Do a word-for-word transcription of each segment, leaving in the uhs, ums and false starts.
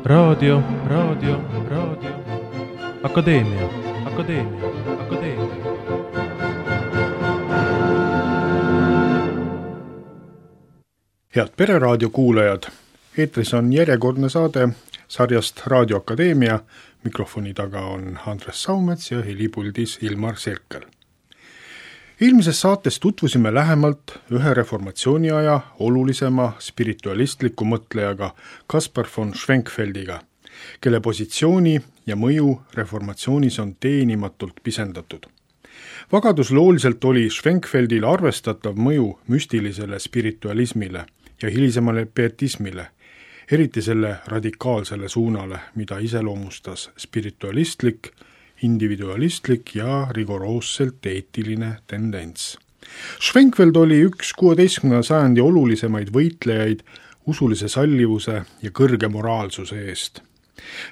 raadio, raadio, raadio, akadeemia, akadeemia, akadeemia. Head Pereraadio kuulajad, eetris on järjekordne saade sarjast Raadio Akadeemia. Mikrofoni taga on Andres Saumets ja helipuldis Ilmar Sirkel. Eelmises saates tutvusime lähemalt ühe reformatsiooniaja olulisema spiritualistliku mõtlejaga Kaspar von Schwenkfeldiga, kelle positsiooni ja mõju reformatsioonis on teenimatult pisendatud. Vagaduslooliselt oli Schwenkfeldil arvestatav mõju müstilisele spiritualismile ja hilisemale pietismile, eriti selle radikaalsele suunale, mida iseloomustas spiritualistlik, individualistlik ja rigoroosselt eetiline tendents. Schwenkfeld oli üks kuueteistkümnenda sajandi olulisemaid võitlejaid usulise sallivuse ja kõrge moraalsuse eest.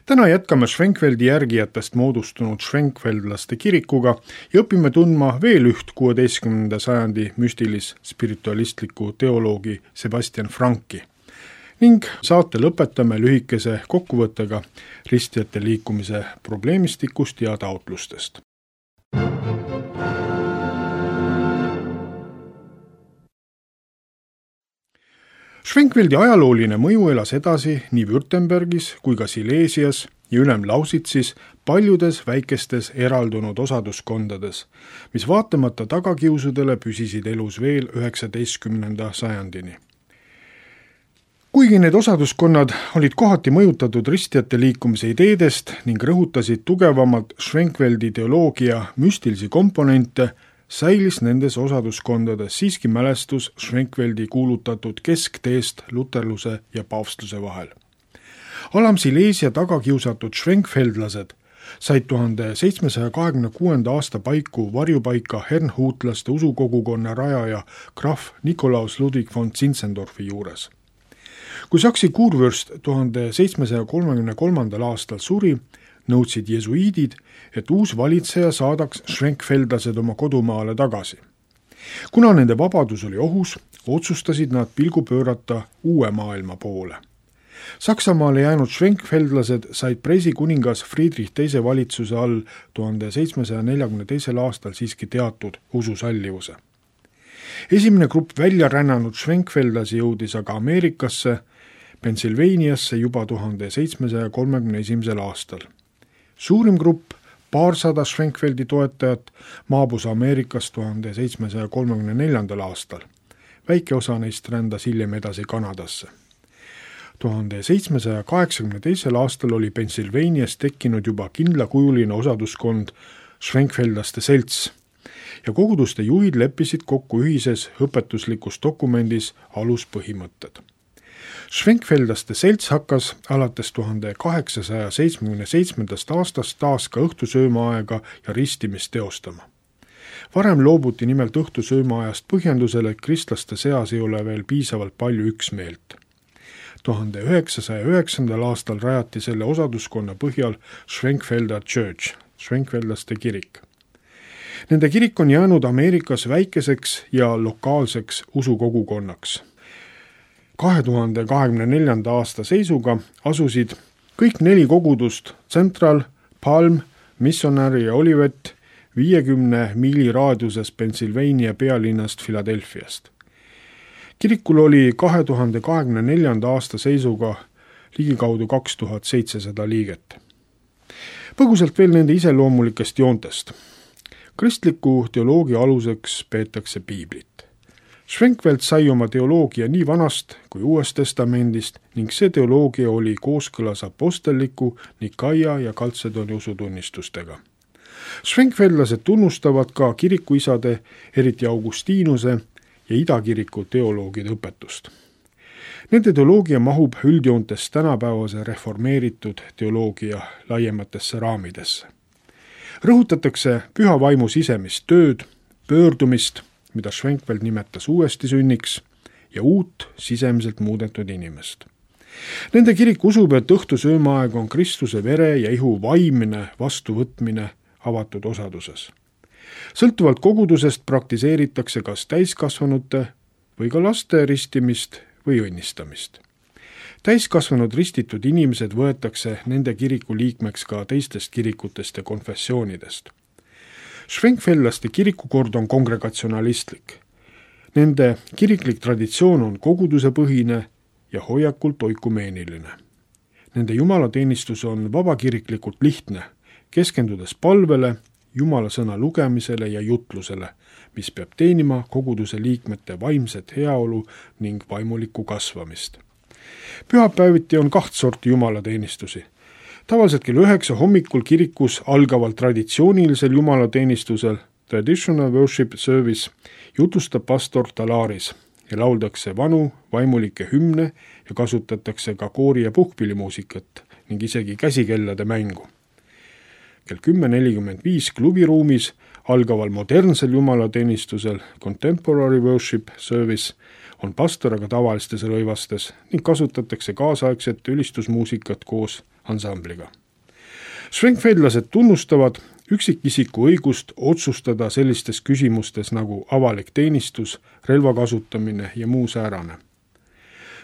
Täna jätkame Schwenkfeldi järgijatest moodustunud Schwenkfeldlaste kirikuga ja õpime tundma veel üht kuueteistkümnenda sajandi müstilis-spiritualistliku teoloogi Sebastian Franki. Ning saate lõpetame lühikese kokkuvõttega ristijate liikumise probleemistikust ja taotlustest. Schwenkfeldi ajalooline mõju elas edasi nii Württembergis kui ka Silesias ja Ülem-Lausitsis paljudes väikestes eraldunud osaduskondades, mis vaatamata tagakiusudele püsisid elus veel üheksateistkümnenda sajandini. Kuigi need osaduskonnad olid kohati mõjutatud ristijate liikumise ideedest ning rõhutasid tugevamalt Schwenkfeldi teoloogia müstilisi komponente, säilis nendes osaduskondades siiski mälestus Schwenkfeldi kuulutatud keskteest luterluse ja paavstluse vahel. Alam-Silesia tagakiusatud Schwenkfeldlased said tuhande seitsmesaja kahekümne kuuenda aasta paiku varjupaika Herrnhutlaste usukogukonna rajaja krahv Nikolaus Ludwig von Zinzendorfi juures. Kui saksi kuurvürst tuhande seitsmesaja kolmekümne kolmandal aastal suri, nõudsid jesuiidid, et uus valitseja saadaks Schwenkfeldlased oma kodumaale tagasi. Kuna nende vabadus oli ohus, otsustasid nad pilgu pöörata uue maailma poole. Saksamaale jäänud Schwenkfeldlased said preisikuningas Friedrich teise valitsuse all tuhande seitsmesaja neljakümne teisel aastal siiski teatud ususallivuse. Esimene grupp välja rännanud Schwenkfeldlasi jõudis aga Ameerikasse, Pennsylvaniasse juba tuhande seitsmesaja kolmekümne esimesel aastal. Suurim grupp, paarsada Schwenkfeldi toetajat, maabus Ameerikas tuhande seitsmesaja kolmekümne neljandal aastal. Väike osa neist rändas hiljem edasi Kanadasse. tuhande seitsmesaja kaheksakümne teisel aastal oli Pennsylvanias tekkinud juba kindlakujuline osaduskond Schwenkfeldlaste selts ja koguduste juhid leppisid kokku ühises õpetuslikus dokumendis aluspõhimõtted. Schwenkfeldlaste selts hakkas alates tuhande kaheksasaja seitsmekümne seitsmendast aastast taas ka õhtusöömaaega ja ristimist teostama. Varem loobuti nimelt õhtusöömaajast põhjendusele, et kristlaste seas ei ole veel piisavalt palju üksmeelt. tuhande üheksasaja üheksandal aastal rajati selle osaduskonna põhjal Schwenkfelder Church, Schwenkfeldlaste kirik. Nende kirik on jäänud Ameerikas väikeseks ja lokaalseks usukogukonnaks. kahe tuhande kahekümne neljanda aasta seisuga asusid kõik neli kogudust Central, Palm, Missionary ja Olivet viiekümne miili raadiuses Pennsylvania pealinnast Philadelphiast. Kirikul oli kahe tuhande kahekümne neljanda aasta seisuga ligikaudu kaks tuhat seitsesada liiget. Põgusalt veel nende iseloomulikest joontest. Kristliku teoloogia aluseks peetakse piiblit. Schwenkfeld sai oma teoloogia nii vanast kui uuest testamendist ning see teoloogia oli kooskõlas apostelliku, Nikaia ja Kaltsedoni usutunnistustega. Schwenkfeldlased tunnustavad ka kirikuisade, eriti Augustiinuse ja idakiriku teoloogide õpetust. Nende teoloogia mahub üldjoontes tänapäevase reformeeritud teoloogia laiematesse raamidesse. Rõhutatakse püha vaimu sisemist tööd, pöördumist, mida Schwenkfeld nimetas uuesti sünniks, ja uut sisemiselt muudetud inimest. Nende kirik usub, et õhtusöömaaeg on Kristuse vere ja ihu vaimne vastuvõtmine avatud osaduses. Sõltuvalt kogudusest praktiseeritakse kas täiskasvanute või ka laste ristimist või õnnistamist. täiskasvanud ristitud inimesed võetakse nende kiriku liikmeks ka teistest kirikutest ja konfessioonidest. Schwenkfeldlaste kirikukord on kongregatsionalistlik. Nende kiriklik traditsioon on kogudusepõhine ja hoiakult oikumeeniline. Nende jumalateenistus on vabakiriklikult lihtne, keskendudes palvele, jumala sõna lugemisele ja jutlusele, mis peab teenima koguduse liikmete vaimset heaolu ning vaimulikku kasvamist. Pühapäeviti on kaht sorti jumalateenistusi. Tavaliselt kell üheksa hommikul kirikus algaval traditsioonilisel jumalateenistusel Traditional Worship Service jutustab pastor Talaris ja lauldakse vanu vaimulikke hümne ja kasutatakse ka koori- ja puhkpillimuusikat ning isegi käsikellade mängu. kell kümme nelikümmend viis klubiruumis algaval modernsel jumalateenistusel Contemporary Worship Service on pastor aga tavalistes rõivastes ning kasutatakse kaasaegset ülistusmuusikat koos ansambliga. Schwenkfeldlased tunnustavad üksikisiku õigust otsustada sellistes küsimustes nagu avalik teenistus, relva kasutamine ja muu säärane.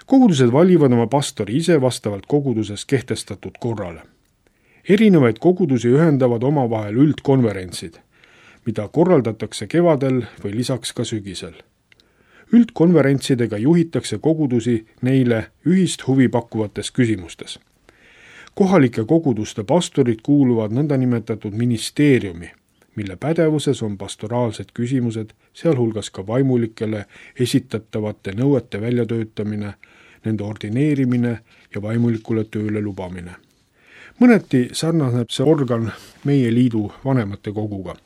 Kogudused valivad oma pastori ise vastavalt koguduses kehtestatud korrale. Erinevaid kogudusi ühendavad omavahel üldkonverentsid, mida korraldatakse kevadel või lisaks ka sügisel. Üldkonverentsidega juhitakse kogudusi neile ühist huvi pakkuvates küsimustes. Kohalike koguduste pastorid kuuluvad nõndanimetatud ministeeriumi, mille pädevuses on pastoraalsed küsimused, sealhulgas ka vaimulikele esitatavate nõuete väljatöötamine, nende ordineerimine ja vaimulikule tööle lubamine. Mõneti sarnaneb see organ meie liidu vanemate koguga.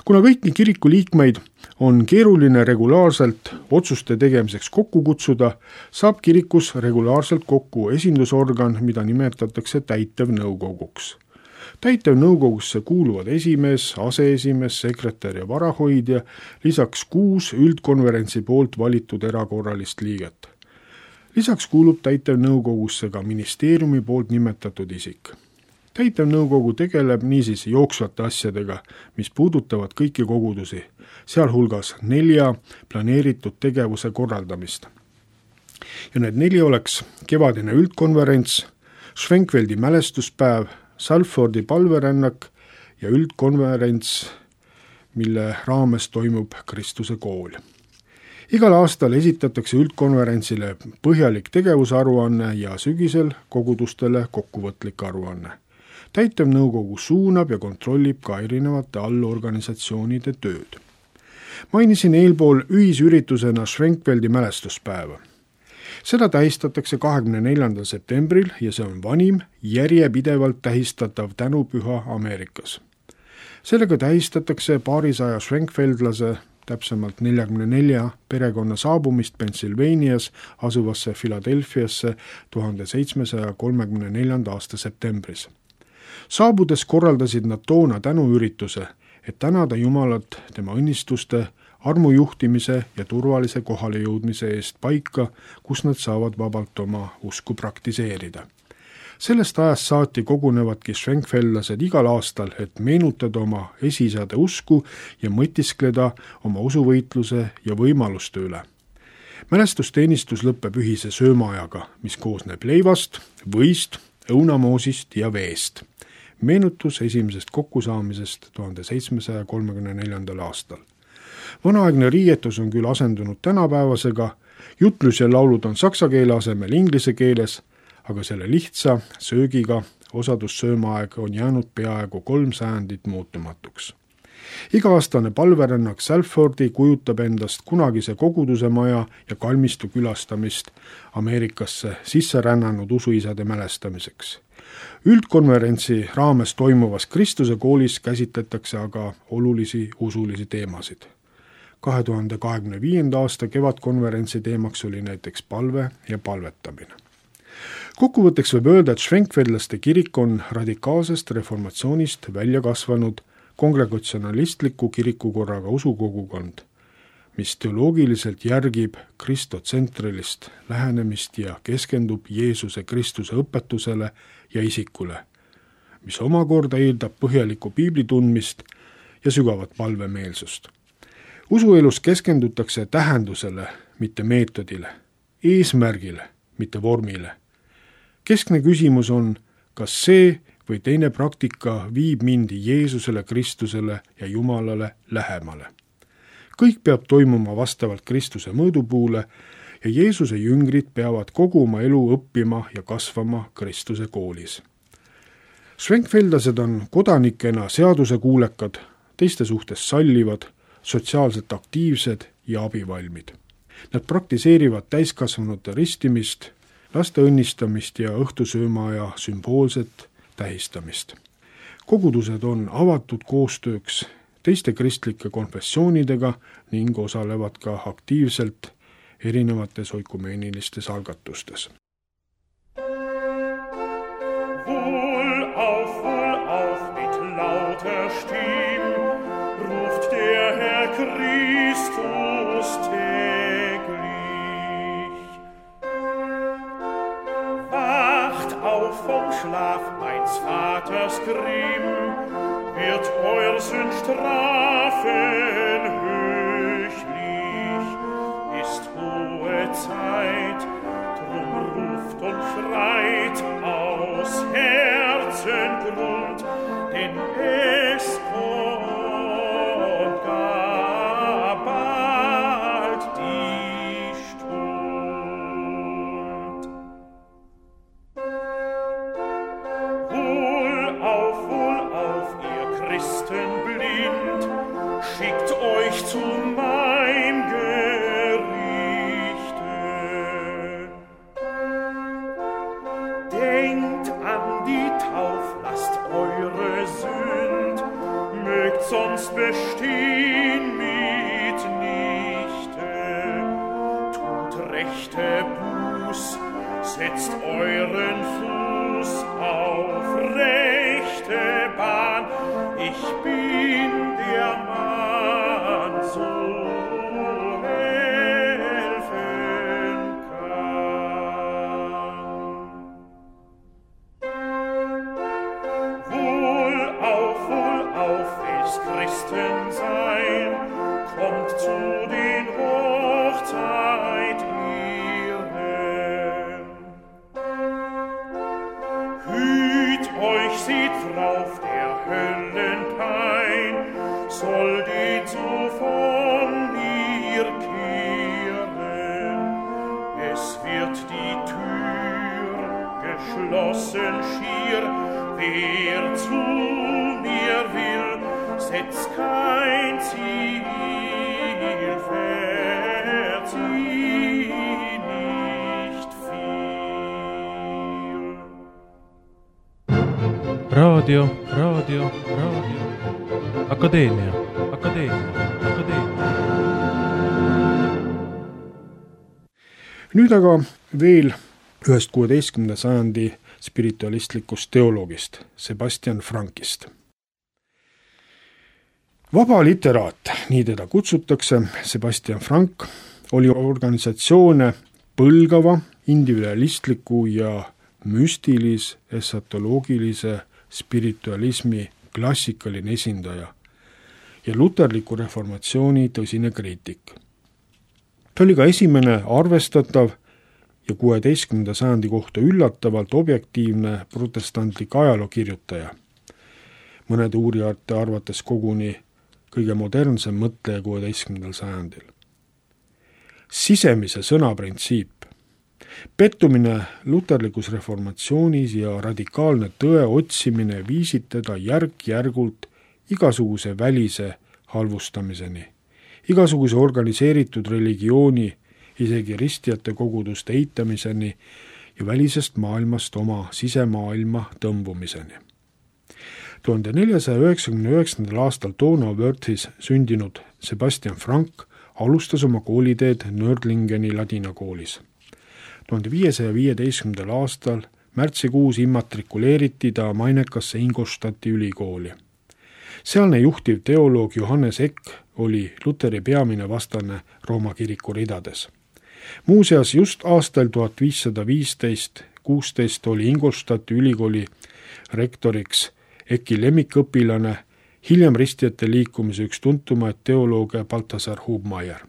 Kuna kõiki kiriku liikmeid on keeruline regulaarselt otsuste tegemiseks kokku kutsuda, saab kirikus regulaarselt kokku esindusorgan, mida nimetatakse täitevnõukoguks. Täitevnõukogusse kuuluvad esimees, aseesimees, sekretär ja varahoidja, lisaks kuus üldkonverentsi poolt valitud erakorralist liiget. Lisaks kuulub täitevnõukogusse ka ministeeriumi poolt nimetatud isik. Täitevnõukogu tegeleb niisiis jooksvate asjadega, mis puudutavad kõiki kogudusi, sealhulgas nelja planeeritud tegevuse korraldamist. Ja need neli oleks kevadine üldkonverents, Schwenkfeldi mälestuspäev, Salfordi palverännak ja üldkonverents, mille raames toimub Kristuse kool. Igal aastal esitatakse üldkonverentsile põhjalik tegevusaruanne ja sügisel kogudustele kokkuvõtlik aruanne. Täitevnõukogu suunab ja kontrollib ka erinevate allorganisatsioonide tööd. Mainisin eelpool ühisüritusena Schwenkfeldi mälestuspäeva. Seda tähistatakse kahekümne neljandal septembril ja see on vanim järjepidevalt tähistatav tänupüha Ameerikas. Sellega tähistatakse paarisaja Schwenkfeldlase, täpsemalt neljakümne nelja perekonna saabumist Pennsylvanias asuvasse Philadelphiasse tuhande seitsmesaja kolmekümne neljanda aasta septembris. Saabudes korraldasid nad toona tänuürituse, et tänada Jumalat tema õnnistuste, armujuhtimise ja turvalise kohale jõudmise eest paika, kus nad saavad vabalt oma usku praktiseerida. Sellest ajast saati kogunevadki Schwenkfeldlased igal aastal, et meenutada oma esiisade usku ja mõtiskleda oma usuvõitluse ja võimaluste üle. Mälestusteenistus lõpeb ühise söömaajaga, mis koosneb leivast, võist, õunamoosist ja veest. Meenutus esimesest kokkusaamisest tuhande seitsmesaja kolmekümne neljandal aastal. Vanaaegne riietus on küll asendunud tänapäevasega, jutlus ja laulud on saksa keele asemel inglise keeles, aga selle lihtsa söögiga osadussöömaaeg on jäänud peaaegu kolm sajandit muutumatuks. Iga-aastane palverännak Salfordi kujutab endast kunagise koguduse maja ja kalmistu külastamist Ameerikasse sisse rännanud usuisade mälestamiseks. Üldkonverentsi raames toimuvas Kristuse koolis käsitletakse aga olulisi usulisi teemasid. kahe tuhande kahekümne viienda aasta kevadkonverentsi teemaks oli näiteks palve ja palvetamine. Kokkuvõtteks võib öelda, et Schwenkfeldlaste kirik on radikaalsest reformatsioonist välja kasvanud kongregatsionalistliku kirikukorraga usukogukond, mis teoloogiliselt järgib kristotsentrilist lähenemist ja keskendub Jeesuse Kristuse õpetusele ja isikule, mis omakorda eeldab põhjalikku piibli tundmist ja sügavat palvemeelsust. Usuelus keskendutakse tähendusele, mitte meetodile, eesmärgile, mitte vormile. Keskne küsimus on, kas see või teine praktika viib mind Jeesusele, Kristusele ja Jumalale lähemale. Kõik peab toimuma vastavalt Kristuse mõõdupuule ja Jeesuse jüngrid peavad kogu oma elu õppima ja kasvama Kristuse koolis. Schwenkfeldlased on kodanikena seadusekuulekad, teiste suhtes sallivad, sotsiaalselt aktiivsed ja abivalmid. Nad praktiseerivad täiskasvanute ristimist, laste õnnistamist ja õhtusöömaaja sümboolset tähistamist. Kogudused on avatud koostööks teiste kristlike konfessioonidega ning osalevad ka aktiivselt erinevates oikumeenilistes algatustes. Wohl auf, wohl auf mit lauter Stimm ruft der Herr Christus täglich. Wacht auf vom Schlaf, meins Vaters Grimm, wird euer Sünd strafen höchlich. Ist hohe Zeit, drum ruft und schreit aus Herzengrund, denn es kommt gar bald die Stund. Wohl auf, wohl auf, ihr Christen blind, schickt euch zu meinem Gerichte. Denkt an die Tauf, lasst eure Sünd, mögt sonst bestehen mitnichte. Tut rechte Buß, setzt euren Fuß auf rechte Bahn. Ich bin der Mann, so helfen kann. Wohl auf, wohl auf, will's Christen sein, kommt zu den Hochzeit ihren. Hüt euch, seht drauf, der Höllenpein soll den so von mir kehren. Es wird die Tür geschlossen schier, wer zu mir will, setzt kein Ziel, verzieh nicht viel. raadio, raadio, raadio. Akadeemia, akadeemia, akadeemia. Nüüd aga veel ühest kuueteistkümnenda sajandi spiritualistlikust teoloogist, Sebastian Frankist. Vaba literaat, nii teda kutsutakse, Sebastian Frank, oli organisatsioone põlgava, individualistliku ja müstilis, esatoloogilise spiritualismi klassikaline esindaja ja luterliku reformatsiooni tõsine kriitik. Ta oli ka esimene arvestatav ja kuueteistkümnenda sajandi kohta üllatavalt objektiivne protestantlik ajalookirjutaja. Mõnede uurijate arvates koguni kõige modernsem mõtleja kuueteistkümnendal sajandil. Sisemise sõna printsiip. Pettumine luterlikus reformatsioonis ja radikaalne tõe otsimine viisid teda järk-järgult igasuguse välise halvustamiseni, igasuguse organiseeritud religiooni, isegi ristijate koguduste eitamiseni ja välisest maailmast oma sisemaailma tõmbumiseni. tuhande neljasaja üheksakümne üheksandal aastal Donauwörthis sündinud Sebastian Frank alustas oma kooliteed Nördlingeni ladinakoolis. tuhande viiesaja viieteistkümnendal aastal märtsikuus immatrikuleeriti ta mainekasse Ingolstadti ülikooli. Sealne juhtiv teoloog Johannes Eck oli Luteri peamine vastane Rooma kiriku ridades. Muuseas, just aastal tuhat viissada viisteist kuusteist oli Ingolstadti ülikooli rektoriks Ecki lemmikõpilane, hiljem ristijate liikumise üks tuntumaid teolooge Balthasar Hubmeier.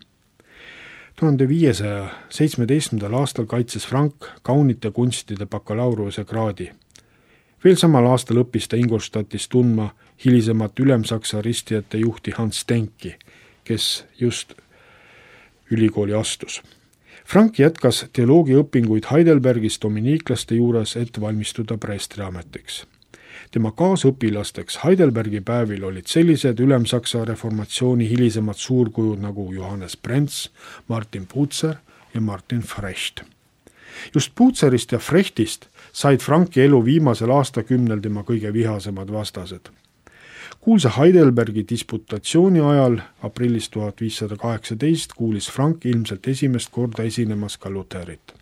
tuhande viiesaja seitsmeteistkümnendal aastal kaitses Frank kaunite kunstide bakalaureuse kraadi. Veel samal aastal õppis ta Ingolstadtis tundma hilisemat Ülemsaksa ristijate juhti Hans Denki, kes just ülikooli astus. Frank jätkas teoloogiaõpinguid Heidelbergis dominiiklaste juures, et valmistuda preestriametiks. Tema kaasõpilasteks Heidelbergi päevil olid sellised Ülemsaksa reformatsiooni hilisemad suurkujud nagu Johannes Brenz, Martin Bucer ja Martin Frecht. Just Bucerist ja Frechtist said Franki elu viimasel aastakümnel tema kõige vihasemad vastased. Kuulsa Heidelbergi disputatsiooni ajal aprillis tuhat viissada kaheksateist kuulis Frank ilmselt esimest korda esinemas ka Lutherit.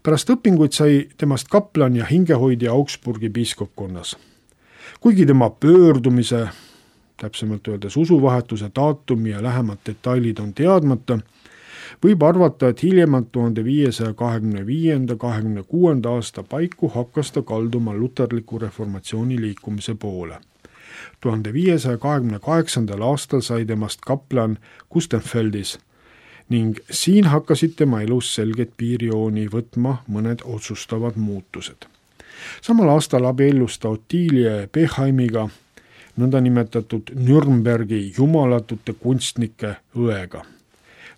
Pärast õpinguid sai temast kaplan ja hingehoidja Augsburgi piiskopkonnas. Kuigi tema pöördumise, täpsemalt öeldes usuvahetuse daatumi ja lähemad detailid on teadmata, võib arvata, et hiljemalt tuhande viiesaja kahekümne viienda kahekümne kuuenda aasta paiku hakkas ta kalduma luterliku reformatsiooni liikumise poole. tuhande viiesaja kahekümne kaheksandal aastal sai temast kaplan Kustenfeldis ning siin hakkasid tema elus selget piirjooni võtma mõned otsustavad muutused. Samal aastal abiellus ta Ottilie Beheimiga, nõndanimetatud Nürnbergi jumalatute kunstnike õega.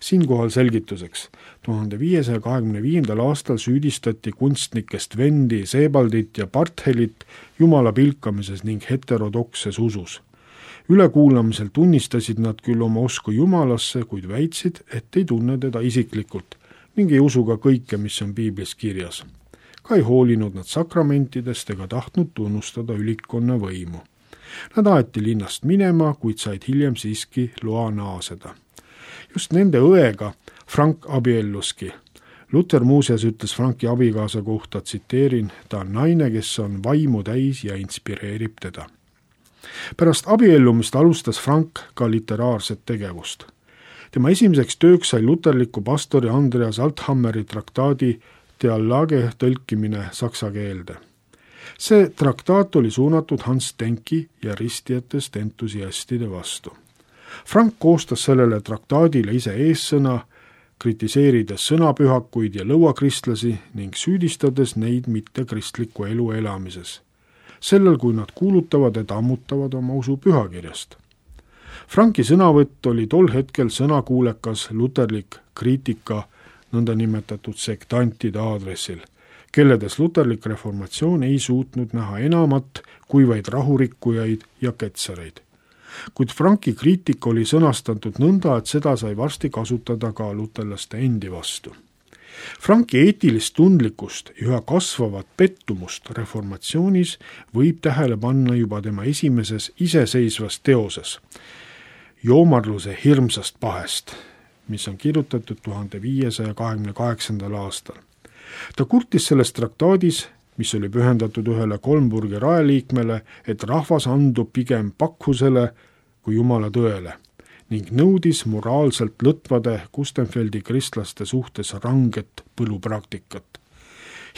Siinkohal selgituseks. tuhande viiesaja kahekümne viiendal aastal süüdistati kunstnikest Vendi, Sebaldit ja Barthelit jumala pilkamises ning heterodokses usus. Ülekuulamisel tunnistasid nad küll oma usku jumalasse, kuid väitsid, et ei tunne teda isiklikult ning ei usu ka kõike, mis on piiblis kirjas. Ka ei hoolinud nad sakramentidest ega tahtnud tunnustada ülikonna võimu. Nad aeti linnast minema, kuid said hiljem siiski loa naaseda. Just nende õega Frank abielluski. Luther muuseas ütles Franki abikaasa kohta, tsiteerin, ta on naine, kes on vaimu täis ja inspireerib teda. Pärast abiellumist alustas Frank ka literaarset tegevust. Tema esimeseks tööks sai luterliku pastori Andreas Althammeri traktaadi Theallage tõlkimine saksa keelde. See traktaat oli suunatud Hans Denki ja ristijatest entusiastide vastu. Frank koostas sellele traktaadile ise eessõna, kritiseerides sõnapühakuid ja lõuakristlasi ning süüdistades neid mitte kristliku elu elamises. Sellel, kui nad kuulutavad, et ammutavad oma usu pühakirjast. Franki sõnavõtt oli tol hetkel sõnakuulekas luterlik kriitika nõndanimetatud sektantide aadressil, kelledes luterlik reformatsioon ei suutnud näha enamat kui vaid rahurikkujaid ja ketsareid. Kuid Franki kriitika oli sõnastatud nõnda, et seda sai varsti kasutada ka luterlaste endi vastu. Franki eetilist tundlikkust ja üha kasvavat pettumust reformatsioonis võib tähele panna juba tema esimeses iseseisvas teoses, Joomarluse hirmsast pahest, mis on kirjutatud tuhande viiesaja kahekümne kaheksandal aastal. Ta kurtis selles traktaadis, mis oli pühendatud ühele Kolmburgi rajaliikmele, et rahvas andub pigem pakkusele kui jumala tõele ning nõudis moraalselt lõtvade Kustenfeldi kristlaste suhtes ranget põlupraktikat.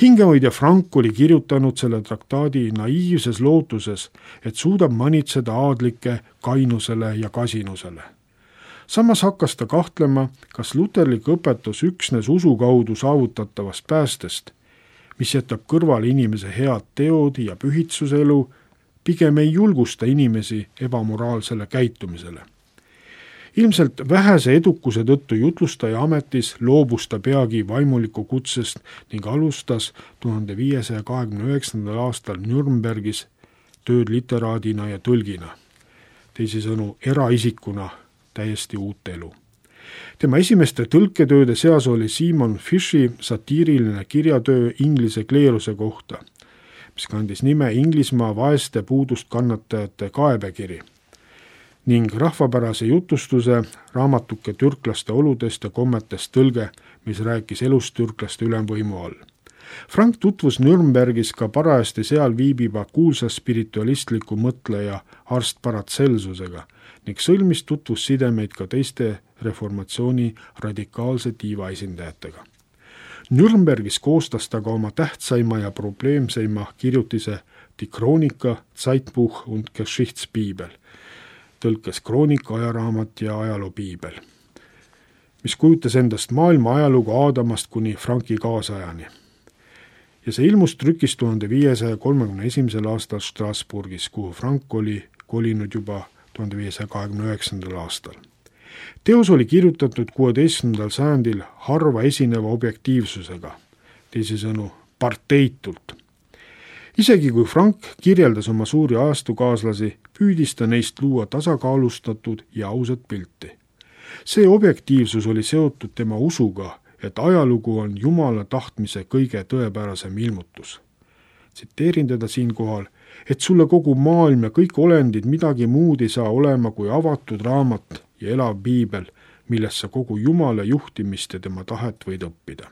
Hingehoidja Frank oli kirjutanud selle traktaadi naiivses lootuses, et suudab manitseda aadlike kainusele ja kasinusele. Samas hakkas ta kahtlema, kas luterlik õpetus üksnes usu kaudu saavutatavast päästest, mis jätab kõrvale inimese head teod ja pühitsuselu, pigem ei julgusta inimesi ebamoraalsele käitumisele. Ilmselt vähese edukuse tõttu jutlustaja ametis loobus ta peagi vaimuliku kutsest ning alustas tuhande viiesaja kahekümne üheksandal aastal Nürnbergis tööd literaadina ja tõlgina, teisisõnu eraisikuna täiesti uut elu. Tema esimeste tõlketööde seas oli Simon Fishi satiiriline kirjatöö inglise kleeruse kohta, mis kandis nime Inglismaa vaeste puudust kannatajate kaebekiri ning rahvapärase jutustuse raamatuke türklaste oludest ja kommetest tõlge, mis rääkis elust türklaste ülemvõimu all. Frank tutvus Nürnbergis ka parajasti seal viibiva kuulsa spiritualistliku mõtleja arst Paracelsusega ning sõlmis tutvussidemeid ka teiste reformatsiooni radikaalse tiiva esindajatega. Nürnbergis koostas ta ka oma tähtsaima ja probleemseima kirjutise Die Chronika, Zeitbuch und Geschichtspiibel, tõlkes kroonika, ajaraamat ja ajaloopiibel. mis kujutas endast maailma ajalugu Aadamast kuni Franki kaasajani. Ja see ilmus trükis tuhande viiesaja kolmekümne esimesel aastal Strasbourgis, kuhu Frank oli kolinud juba tuhande viiesaja kahekümne üheksandal aastal. Teos oli kirjutatud kuueteistkümnendal sajandil harva esineva objektiivsusega, teisisõnu parteitult. Isegi kui Frank kirjeldas oma suuri ajastukaaslasi, püüdis ta neist luua tasakaalustatud ja ausat pilti. See objektiivsus oli seotud tema usuga, et ajalugu on Jumala tahtmise kõige tõepärasem ilmutus. Tsiteerin teda siinkohal, et sulle kogu maailm ja kõik olendid midagi muud ei saa olema kui avatud raamat ja elav piibel, milles sa kogu Jumala juhtimist ja tema tahet võid õppida.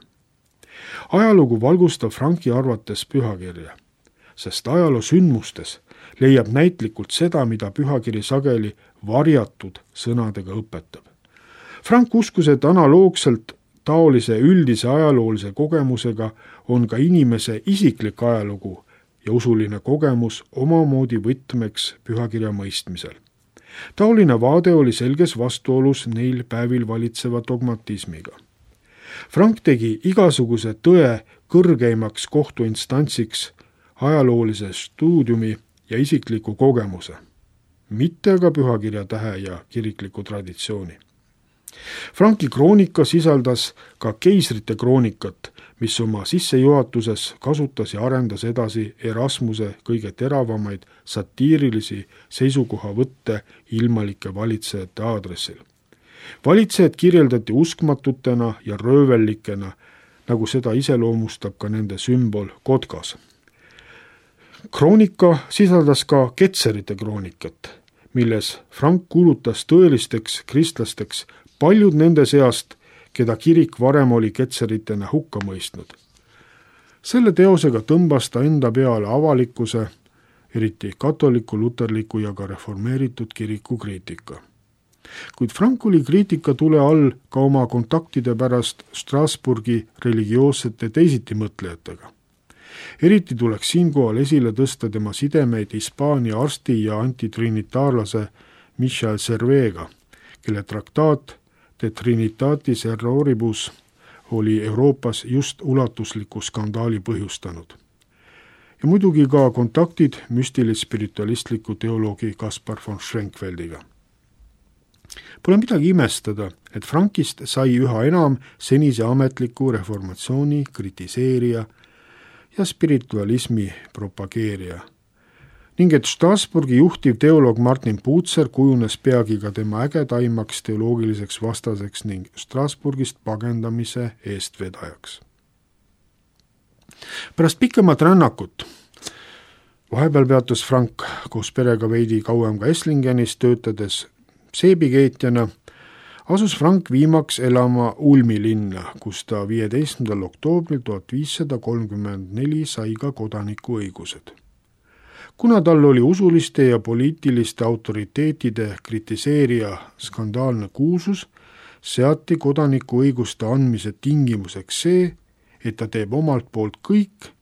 Ajalugu valgustab Franki arvates pühakirja, sest ajaloo sündmustes leiab näitlikult seda, mida pühakiri sageli varjatud sõnadega õpetab. Frank uskus, et analoogselt taolise üldise ajaloolise kogemusega on ka inimese isiklik ajalugu ja usuline kogemus omamoodi võtmeks pühakirja mõistmisel. Taoline vaade oli selges vastuolus neil päevil valitseva dogmatismiga. Frank tegi igasuguse tõe kõrgeimaks kohtuinstantsiks ajaloolise stuudiumi ja isikliku kogemuse, mitte aga pühakirja tähe ja kirikliku traditsiooni. Franki kroonika sisaldas ka keisrite kroonikat, mis oma sissejuhatuses kasutas ja arendas edasi Erasmuse kõige teravamaid satiirilisi seisukohavõtte ilmalike valitsejate aadressil. Valitsejad kirjeldati uskmatutena ja röövellikena, nagu seda iseloomustab ka nende sümbol kotkas. Kroonika sisaldas ka ketserite kroonikat, milles Frank kuulutas tõelisteks kristlasteks paljud nende seast, keda kirik varem oli ketseritena hukka mõistnud. Selle teosega tõmbas ta enda peale avalikkuse, eriti katoliku, luterliku ja ka reformeeritud kiriku kriitika. Kuid Frank oli kriitika tule all ka oma kontaktide pärast Strasbourgi religioossete teisitimõtlejatega. Eriti tuleks siinkohal esile tõsta tema sidemeid Hispaania arsti ja antitrinitaarlase Michel Servega, kelle traktaat De Trinitatis Erroribus oli Euroopas just ulatusliku skandaali põhjustanud. Ja muidugi ka kontaktid müstilis-spiritualistliku teoloogi Kaspar von Schrenkfeldiga. Pole midagi imestada, et Frankist sai üha enam senise ametliku reformatsiooni kritiseerija ja spiritualismi propageerija, ning et Strasbourgi juhtiv teoloog Martin Bucer kujunes peagi ka tema ägedaimaks teoloogiliseks vastaseks ning Strasbourgist pagendamise eestvedajaks. Pärast pikemat rännakut, vahepeal peatus Frank koos perega veidi kauem ka Eslingenis töötades seebikeetjana, asus Frank viimaks elama Ulmi linna, kus ta viieteistkümnendal oktoobril tuhat viissada kolmkümmend neli sai ka kodanikuõigused. Kuna tal oli usuliste ja poliitiliste autoriteetide kritiseerija skandaalne kuulsus, seati kodanikuõiguste andmise tingimuseks see, et ta teeb omalt poolt kõik,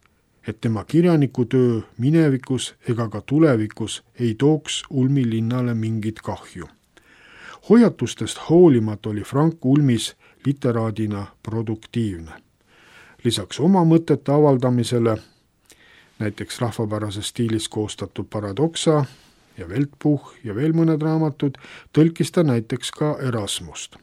et tema kirjanikutöö minevikus ega ka tulevikus ei tooks Ulmi linnale mingit kahju. Hoiatustest hoolimata oli Frank Ulmis literaadina produktiivne. Lisaks oma mõtete avaldamisele, näiteks rahvapärases stiilis koostatud Paradoxa ja Weltbuch ja veel mõned raamatud, tõlkis ta näiteks ka Erasmust.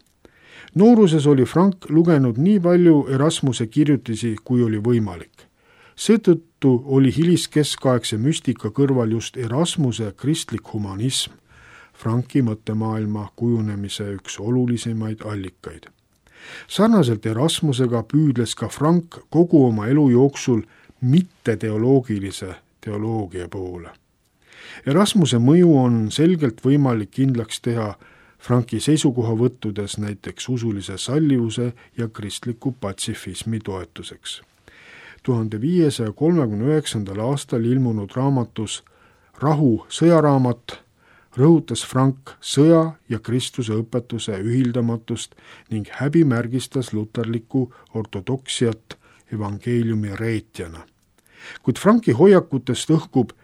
Nooruses oli Frank lugenud nii palju Erasmuse kirjutisi, kui oli võimalik. Seetõttu oli hiliskeskaegse müstika kõrval just Erasmuse kristlik humanism Franki mõttemaailma kujunemise üks olulisemaid allikaid. Sarnaselt Erasmusega püüdles ka Frank kogu oma elu jooksul mitte teoloogilise teoloogia poole. Erasmuse mõju on selgelt võimalik kindlaks teha Franki seisukohavõttudes näiteks usulise sallivuse ja kristliku patsifismi toetuseks. tuhande viiesaja kolmekümne üheksandal aastal ilmunud raamatus Rahu sõjaraamat rõhutas Frank sõja ja Kristuse õpetuse ühildamatust ning häbimärgistas luterlikku ortodoksiat evangeeliumi reetjana. Kuid Franki hoiakutest õhkub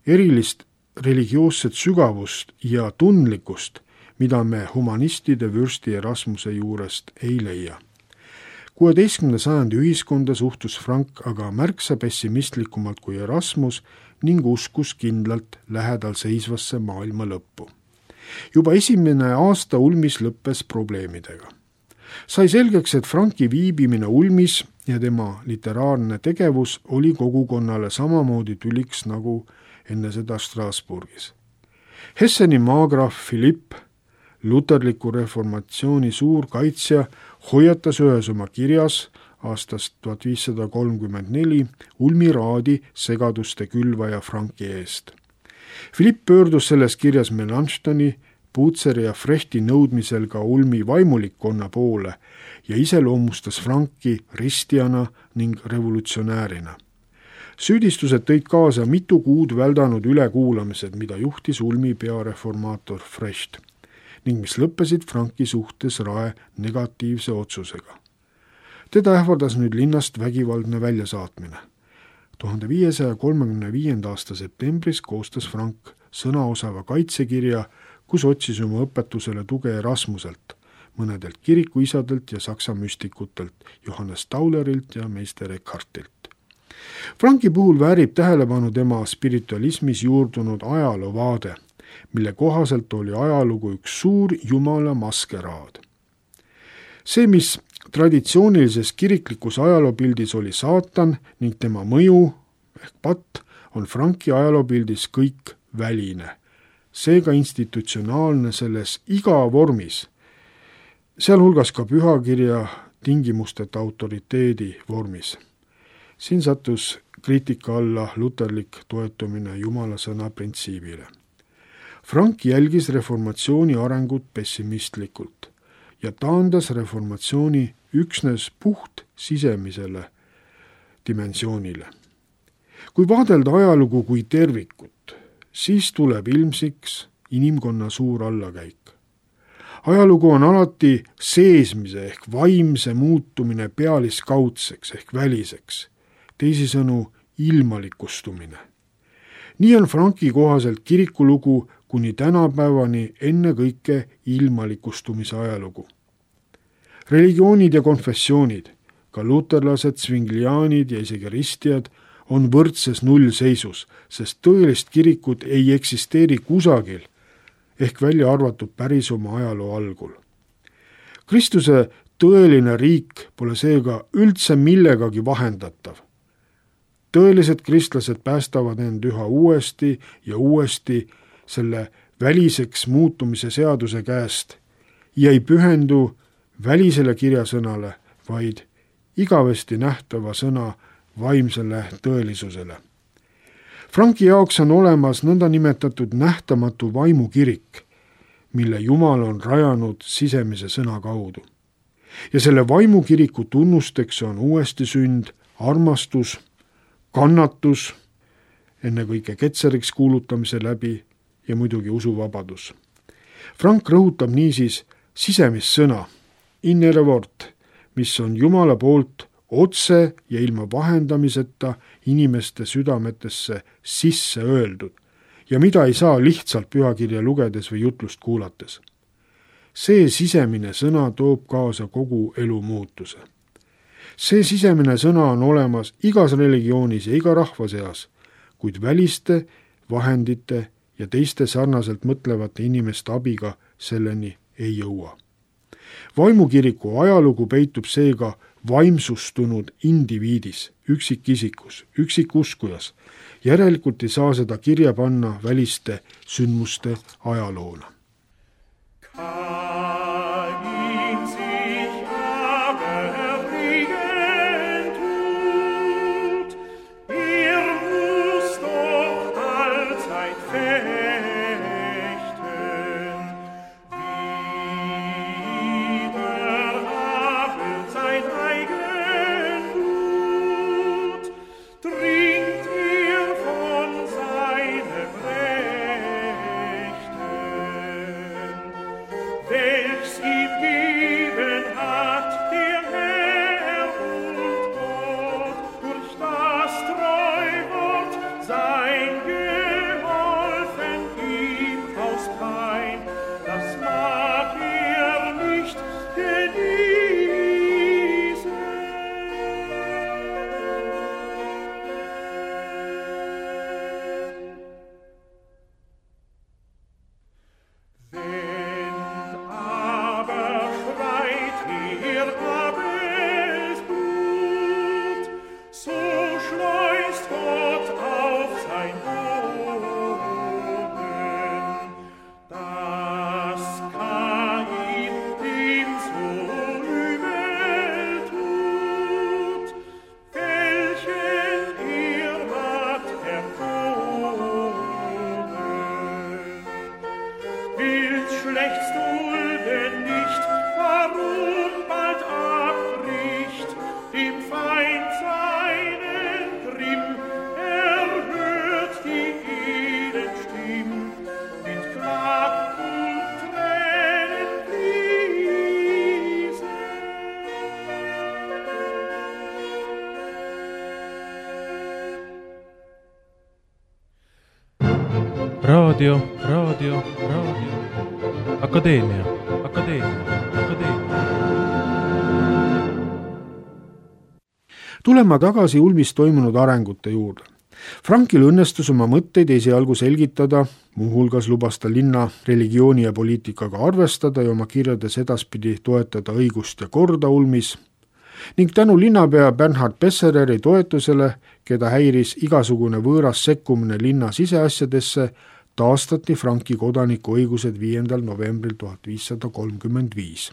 erilist religioosset sügavust ja tundlikkust, mida me humanistide vürsti Erasmuse juurest ei leia. kuueteistkümnenda sajandi ühiskonda suhtus Frank aga märksa pessimistlikumalt kui Erasmus ning uskus kindlalt lähedal seisvasse maailma lõppu. Juba esimene aasta ulmis lõppes probleemidega. Sai selgeks, et Franki viibimine ulmis ja tema literaarne tegevus oli kogukonnale samamoodi tüliks nagu enne seda Strasbourgis. Hesseni maagraaf Philipp, luterliku reformatsiooni suur kaitsja, hoiatas ühes oma kirjas aastast tuhat viissada kolmkümmend neli ulmiraadi segaduste külvaja Franki eest. Philipp pöördus selles kirjas Melanchthoni, Puutseri ja Frechti nõudmisel ka ulmi vaimulikkonna poole ja iseloomustas Franki ristjana ning revolutsionäärina. Süüdistused tõid kaasa mitu kuud väldanud ülekuulamised, mida juhtis ulmi peareformaator Frecht ning mis lõppesid Franki suhtes rae negatiivse otsusega. Teda ähvardas nüüd linnast vägivaldne väljasaatmine. tuhande viiesaja kolmekümne viienda aasta septembris koostas Frank sõnaosava kaitsekirja, kus otsis oma õpetusele tuge Erasmuselt, mõnedelt kirikuisadelt ja saksa müstikutelt, Johannes Taulerilt ja meister Eckhartilt. Franki puhul väärib tähelepanu tema spiritualismis juurdunud ajaloovaade, mille kohaselt oli ajalugu üks suur jumala maskeraad. See, mis traditsioonilises kiriklikus ajaloopildis oli saatan ning tema mõju ehk patt, on Franki ajaloopildis kõik väline, seega institutsionaalne selles iga vormis, sealhulgas ka pühakirja tingimusteta autoriteedi vormis. Siin sattus kriitika alla luterlik toetumine jumala sõna printsiibile. Frank jälgis reformatsiooni arengut pessimistlikult ja taandas reformatsiooni üksnes puht sisemisele dimensioonile. Kui vaadelda ajalugu kui tervikut, siis tuleb ilmsiks inimkonna suur allakäik. Ajalugu on alati seesmise ehk vaimse muutumine pealiskaudseks ehk väliseks, teisisõnu ilmalikustumine. Nii on Franki kohaselt kirikulugu kuni tänapäevani ennekõike ilmalikustumise ajalugu. Religioonid ja konfessioonid, ka luterlased, svingliaanid ja isegi ristjad on võrdses nullseisus, sest tõelist kirikut ei eksisteeri kusagil ehk välja arvatud päris oma ajaloo algul. Kristuse tõeline riik pole seega üldse millegagi vahendatav. Tõelised kristlased päästavad end üha uuesti ja uuesti selle väliseks muutumise seaduse käest ja ei pühendu välisele kirjasõnale, vaid igavesti nähtava sõna vaimsele tõelisusele. Franki jaoks on olemas nõnda nimetatud nähtamatu vaimukirik, mille Jumal on rajanud sisemise sõna kaudu. Ja selle vaimukiriku tunnusteks on uuesti sünd, armastus, kannatus, ennekõike ketseriks kuulutamise läbi ja muidugi usuvabadus. Frank rõhutab niisiis sisemist sõna, innere wort, mis on Jumala poolt otse ja ilma vahendamiseta inimeste südametesse sisse öeldud ja mida ei saa lihtsalt pühakirja lugedes või jutlust kuulates. See sisemine sõna toob kaasa kogu elu muutuse. See sisemine sõna on olemas igas religioonis ja iga rahva seas, kuid väliste, vahendite ja teiste sarnaselt mõtlevate inimeste abiga selleni ei jõua. Vaimukiriku ajalugu peitub seega vaimsustunud indiviidis, üksikisikus, üksikuskujas. Järelikult ei saa seda kirja panna väliste sündmuste ajaloona. Trinkt ihr von seinem Rechten. raadio, raadio, raadio, Akadeemia, Akadeemia, Akadeemia. Tulema tagasi Ulmis toimunud arengute juurde. Frankil õnnestus oma mõtteid esialgu selgitada, muuhulgas lubas ta linna religiooni ja poliitikaga arvestada ja oma kirjades edaspidi toetada õigust ja korda Ulmis, ning tänu linnapea Bernhard Bessereri toetusele, keda häiris igasugune võõras sekkumine linna siseasjadesse, taastati Franki kodaniku õigused viiendal novembril tuhat viissada kolmkümmend viis.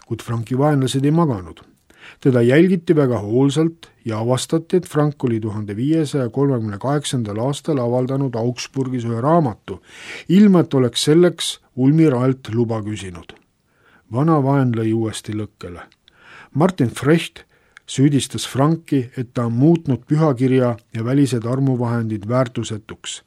Kuid Franki vaenlased ei maganud. Teda jälgiti väga hoolsalt ja avastati, et Frank oli tuhande viiesaja kolmekümne kaheksandal aastal avaldanud Augsburgis ühe raamatu, ilma et oleks selleks Ulmi ralt luba küsinud. Vana vaen lõi uuesti lõkkele. Martin Frecht süüdistas Franki, et ta on muutnud pühakirja ja välised armuvahendid väärtusetuks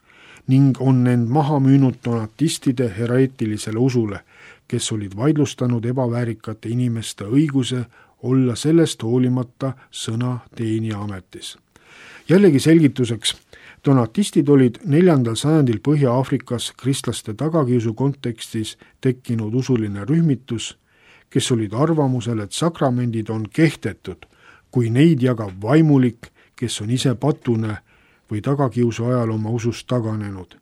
ning on end maha müünud donatistide hereetilisele usule, kes olid vaidlustanud ebaväärikate inimeste õiguse olla sellest hoolimata sõna teenija ametis. Jällegi selgituseks, donatistid olid neljandal sajandil Põhja-Aafrikas kristlaste tagakiusu kontekstis tekkinud usuline rühmitus, kes olid arvamusel, et sakramendid on kehtetud, kui neid jagab vaimulik, kes on ise patune või tagakiusu ajal oma usust taganenud.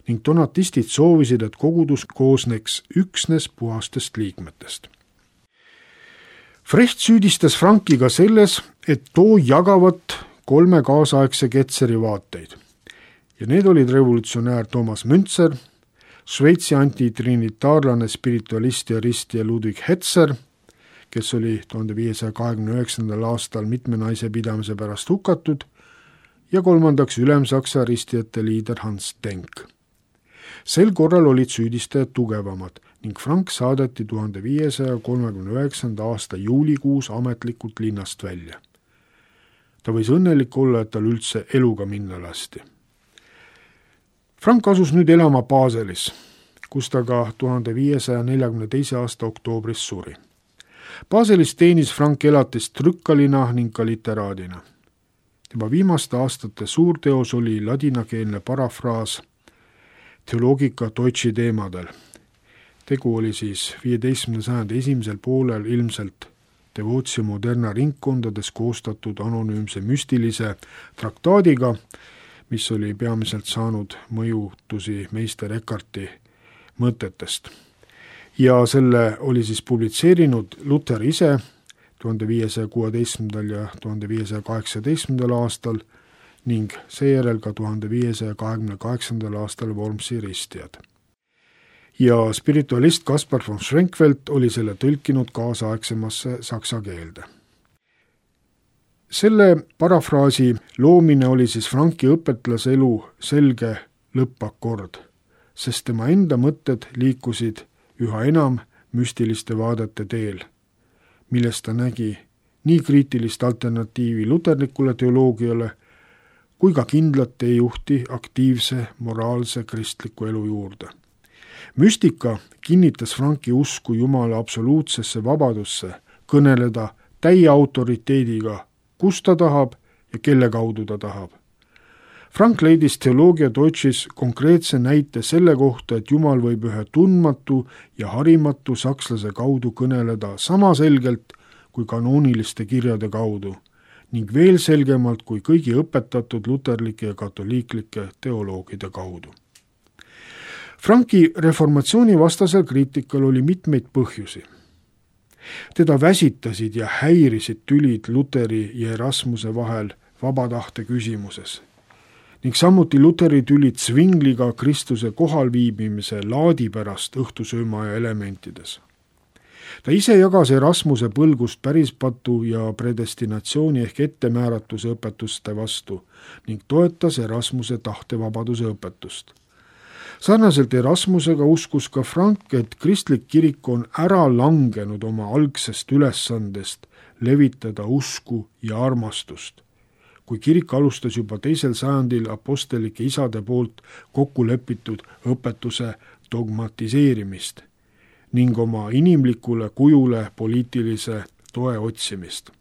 Ning donatistid soovisid, et kogudus koosneks üksnes puhastest liikmetest. Frecht süüdistas Franki ka selles, et too jagavat kolme kaasaegse Ketzeri vaateid. Ja need olid revolutsionäär Thomas Münzer, Šveitsi antitrinitaarlane, spiritualist ja ristja Ludwig Hetzer, kes oli tuhande viiesaja kahekümne üheksandal aastal mitme naise pidamise pärast hukatud, ja kolmandaks Ülemsaksa ristijate liider Hans Denk. Sel korral olid süüdistajad tugevamad ning Frank saadeti tuhande viiesaja kolmekümne üheksanda aasta juulikuus ametlikult linnast välja. Ta võis õnnelik olla, et tal üldse eluga minna lasti. Frank asus nüüd elama Baselis, kus ta ka tuhande viiesaja neljakümne teise aasta oktoobris suri. Baselis teenis Frank elatist trükkalina ning ka literaadina. Tema viimaste aastate suurteos oli ladinakeelne parafraas Theologica Deutschi teemadel. Tegu oli siis viieteistkümnenda sajandi esimesel poolel ilmselt Devotio Moderna ringkondades koostatud anonüümse müstilise traktaadiga, mis oli peamiselt saanud mõjutusi meister Eckarti mõtetest. Ja selle oli siis publitseerinud Luther ise tuhande viiesaja kuueteistkümnendal ja tuhande viiesaja kaheksateistkümnendal aastal ning seejärel ka tuhande viiesaja kahekümne kaheksandal aastal Wormsi ristijad. Ja spiritualist Kaspar von Schrenckfeldt oli selle tõlkinud kaasaegsemasse saksa keelde. Selle parafraasi loomine oli siis Franki õpetlase elu selge lõppakord, sest tema enda mõtted liikusid üha enam müstiliste vaadete teel, millest ta nägi nii kriitilist alternatiivi luterlikule teoloogiale kui ka kindlat teejuhti aktiivse moraalse kristliku elu juurde. Müstika kinnitas Franki usku Jumala absoluutsesse vabadusse kõneleda täie autoriteediga, kus ta tahab ja kelle kaudu ta tahab. Frank leidis Theologia Deutschis konkreetse näite selle kohta, et Jumal võib ühe tundmatu ja harimatu sakslase kaudu kõneleda sama selgelt kui kanooniliste kirjade kaudu ning veel selgemalt kui kõigi õpetatud luterlike ja katoliiklike teoloogide kaudu. Franki reformatsiooni vastasel kriitikal oli mitmeid põhjusi. Teda väsitasid ja häirisid tülid Luteri ja Erasmuse vahel vabatahte küsimuses ning samuti Luteri tülid Zwingliga Kristuse kohalviibimise laadi pärast õhtusöömaja elementides. Ta ise jagas Erasmuse põlgust pärispatu ja predestinatsiooni ehk ettemääratuse õpetuste vastu ning toetas Erasmuse tahtevabaduse õpetust. Sarnaselt Erasmusega uskus ka Frank, et kristlik kirik on ära langenud oma algsest ülesandest levitada usku ja armastust, kui kirik alustas juba teisel sajandil apostelike isade poolt kokku lepitud õpetuse dogmatiseerimist ning oma inimlikule kujule poliitilise toe otsimist.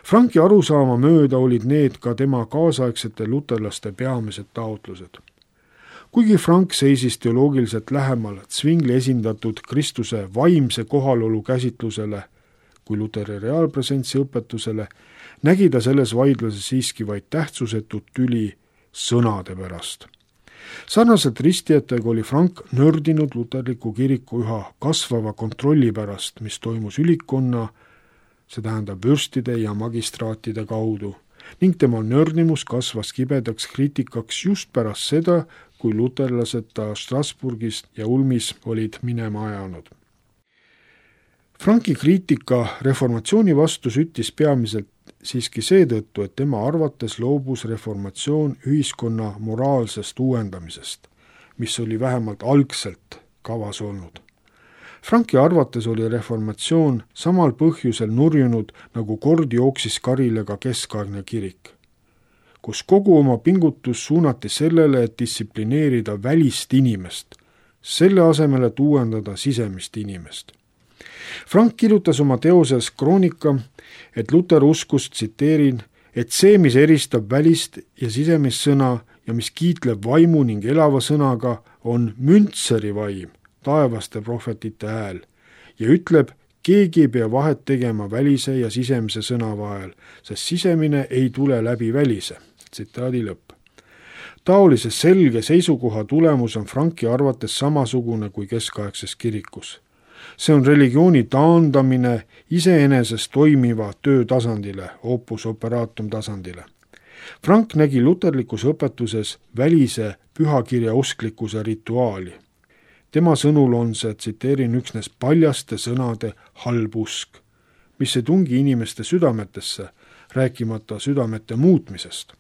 Franki arusaama mööda olid need ka tema kaasaegsete luterlaste peamised taotlused. kuigi Frank seisis teoloogiliselt lähemal Zwingli esindatud Kristuse vaimse kohalolu käsitlusele kui Luteri reaalpresentsi õpetusele, nägi ta selles vaidluses siiski vaid tähtsusetut tüli sõnade pärast. Sarnaselt ristijatega oli Frank nördinud luterliku kiriku üha kasvava kontrolli pärast, mis toimus ülikonna, see tähendab vürstide ja magistraatide kaudu, ning tema nördimus kasvas kibedaks kriitikaks just pärast seda, kui luterlased ta Strasbourgis ja Ulmis olid minema ajanud. Franki kriitika reformatsiooni vastu süttis peamiselt siiski seetõttu, et tema arvates loobus reformatsioon ühiskonna moraalsest uuendamisest, mis oli vähemalt algselt kavas olnud. Franki arvates oli reformatsioon samal põhjusel nurjunud, nagu kord jooksis karile ka keskaegne kirik, kus kogu oma pingutus suunati sellele, et distsiplineerida välist inimest, selle asemel, et uuendada sisemist inimest. Frank kirjutas oma teoses Kroonika, et Luter uskus, tsiteerin, et see, mis eristab välist ja sisemist sõna ja mis kiitleb vaimu ning elava sõnaga, on Müntseri vaim, taevaste prohvetite hääl, ja ütleb, keegi ei pea vahet tegema välise ja sisemise sõna vahel, sest sisemine ei tule läbi välise. Tsitaadi lõpp. Taolise selge seisukoha tulemus on Franki arvates samasugune kui keskaegses kirikus. See on religiooni taandamine iseenesest toimiva töö tasandile, opus operatum tasandile. Frank nägi luterlikus õpetuses välise pühakirja usklikkuse rituaali. Tema sõnul on see, tsiteerin, üksnes paljaste sõnade halb usk, mis ei tungi inimeste südametesse, rääkimata südamete muutmisest.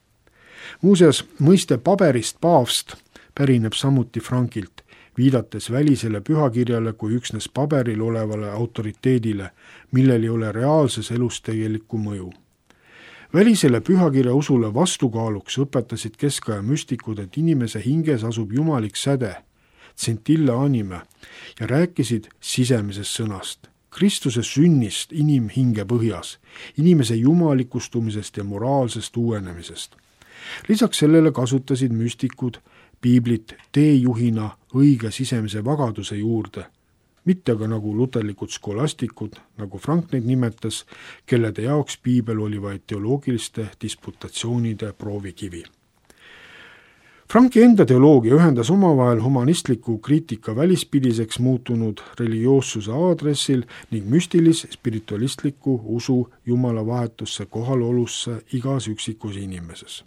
Muuseas, mõiste paberist paavst pärineb samuti Frankilt, viidates välisele pühakirjale kui üksnes paberil olevale autoriteedile, millel ei ole reaalses elus tegelikku mõju. Välisele pühakirja usule vastukaaluks õpetasid keskaja müstikud, et inimese hinges asub jumalik säde, tsentilla anime, ja rääkisid sisemisest sõnast, Kristuse sünnist inimhinge põhjas, inimese jumalikustumisest ja moraalsest uuenemisest. Lisaks sellele kasutasid müstikud piiblit teejuhina õige sisemise vagaduse juurde, mitte aga nagu luterlikud skolastikud, nagu Frank neid nimetas, kellede jaoks piibel oli vaid teoloogiliste disputatsioonide proovikivi. Franki enda teoloogia ühendas omavahel humanistliku kriitika välispidiseks muutunud religioossuse aadressil ning müstilis spiritualistliku usu jumala vahetusse kohalolusse igas üksikus inimeses.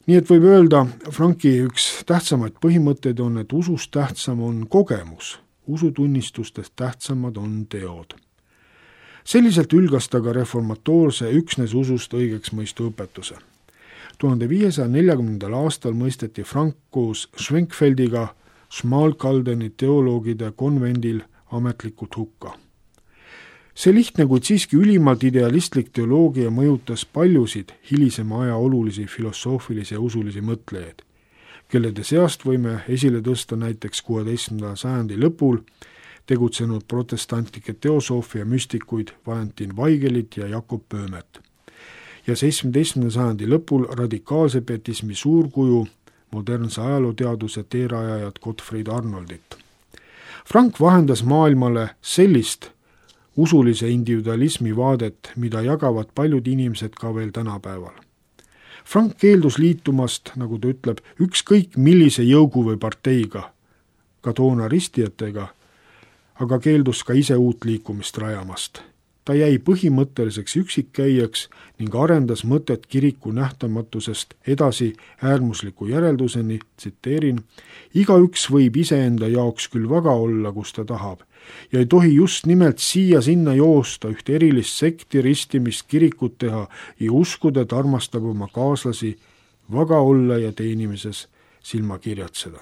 Nii et võib öelda, Franki üks tähtsamaid põhimõtteid on, et usust tähtsam on kogemus, usutunnistustest tähtsamad on teod. Selliselt ülgas ta ka reformatoorse üksnes usust õigeks mõistu õpetuse. tuhande viiesaja neljakümnendal aastal mõisteti Frank koos Schwenkfeldiga Schmalkaldeni teoloogide konvendil ametlikult hukka. See lihtne, kuid siiski ülimalt idealistlik teoloogia mõjutas paljusid hilisema aja olulisi filosoofilisi ja usulisi mõtlejaid, kellede seast võime esile tõsta näiteks kuueteistkümnenda sajandi lõpul tegutsenud protestantlike teosoofia müstikuid Valentin Vaigelit ja Jakob Pöömet ja seitsmeteistkümnenda sajandi lõpul radikaalse pietismi suurkuju modernse ajalooteaduse teerajajat Gottfried Arnoldit. Frank vahendas maailmale sellist usulise individualismi vaadet, mida jagavad paljud inimesed ka veel tänapäeval. Frank keeldus liitumast, nagu ta ütleb, ükskõik millise jõugu või parteiga, ka toona ristijatega, aga keeldus ka ise uut liikumist rajamast. Ta jäi põhimõtteliseks üksikkäijaks ning arendas mõtet kiriku nähtamatusest edasi äärmusliku järelduseni, tsiteerin, igaüks võib iseenda jaoks küll vaga olla, kus ta tahab, ja ei tohi just nimelt siia-sinna joosta ühte erilist sekti ristimist kirikut teha ja uskuda, et armastab oma kaaslasi vaga olla ja teenimises silma kirjatseda.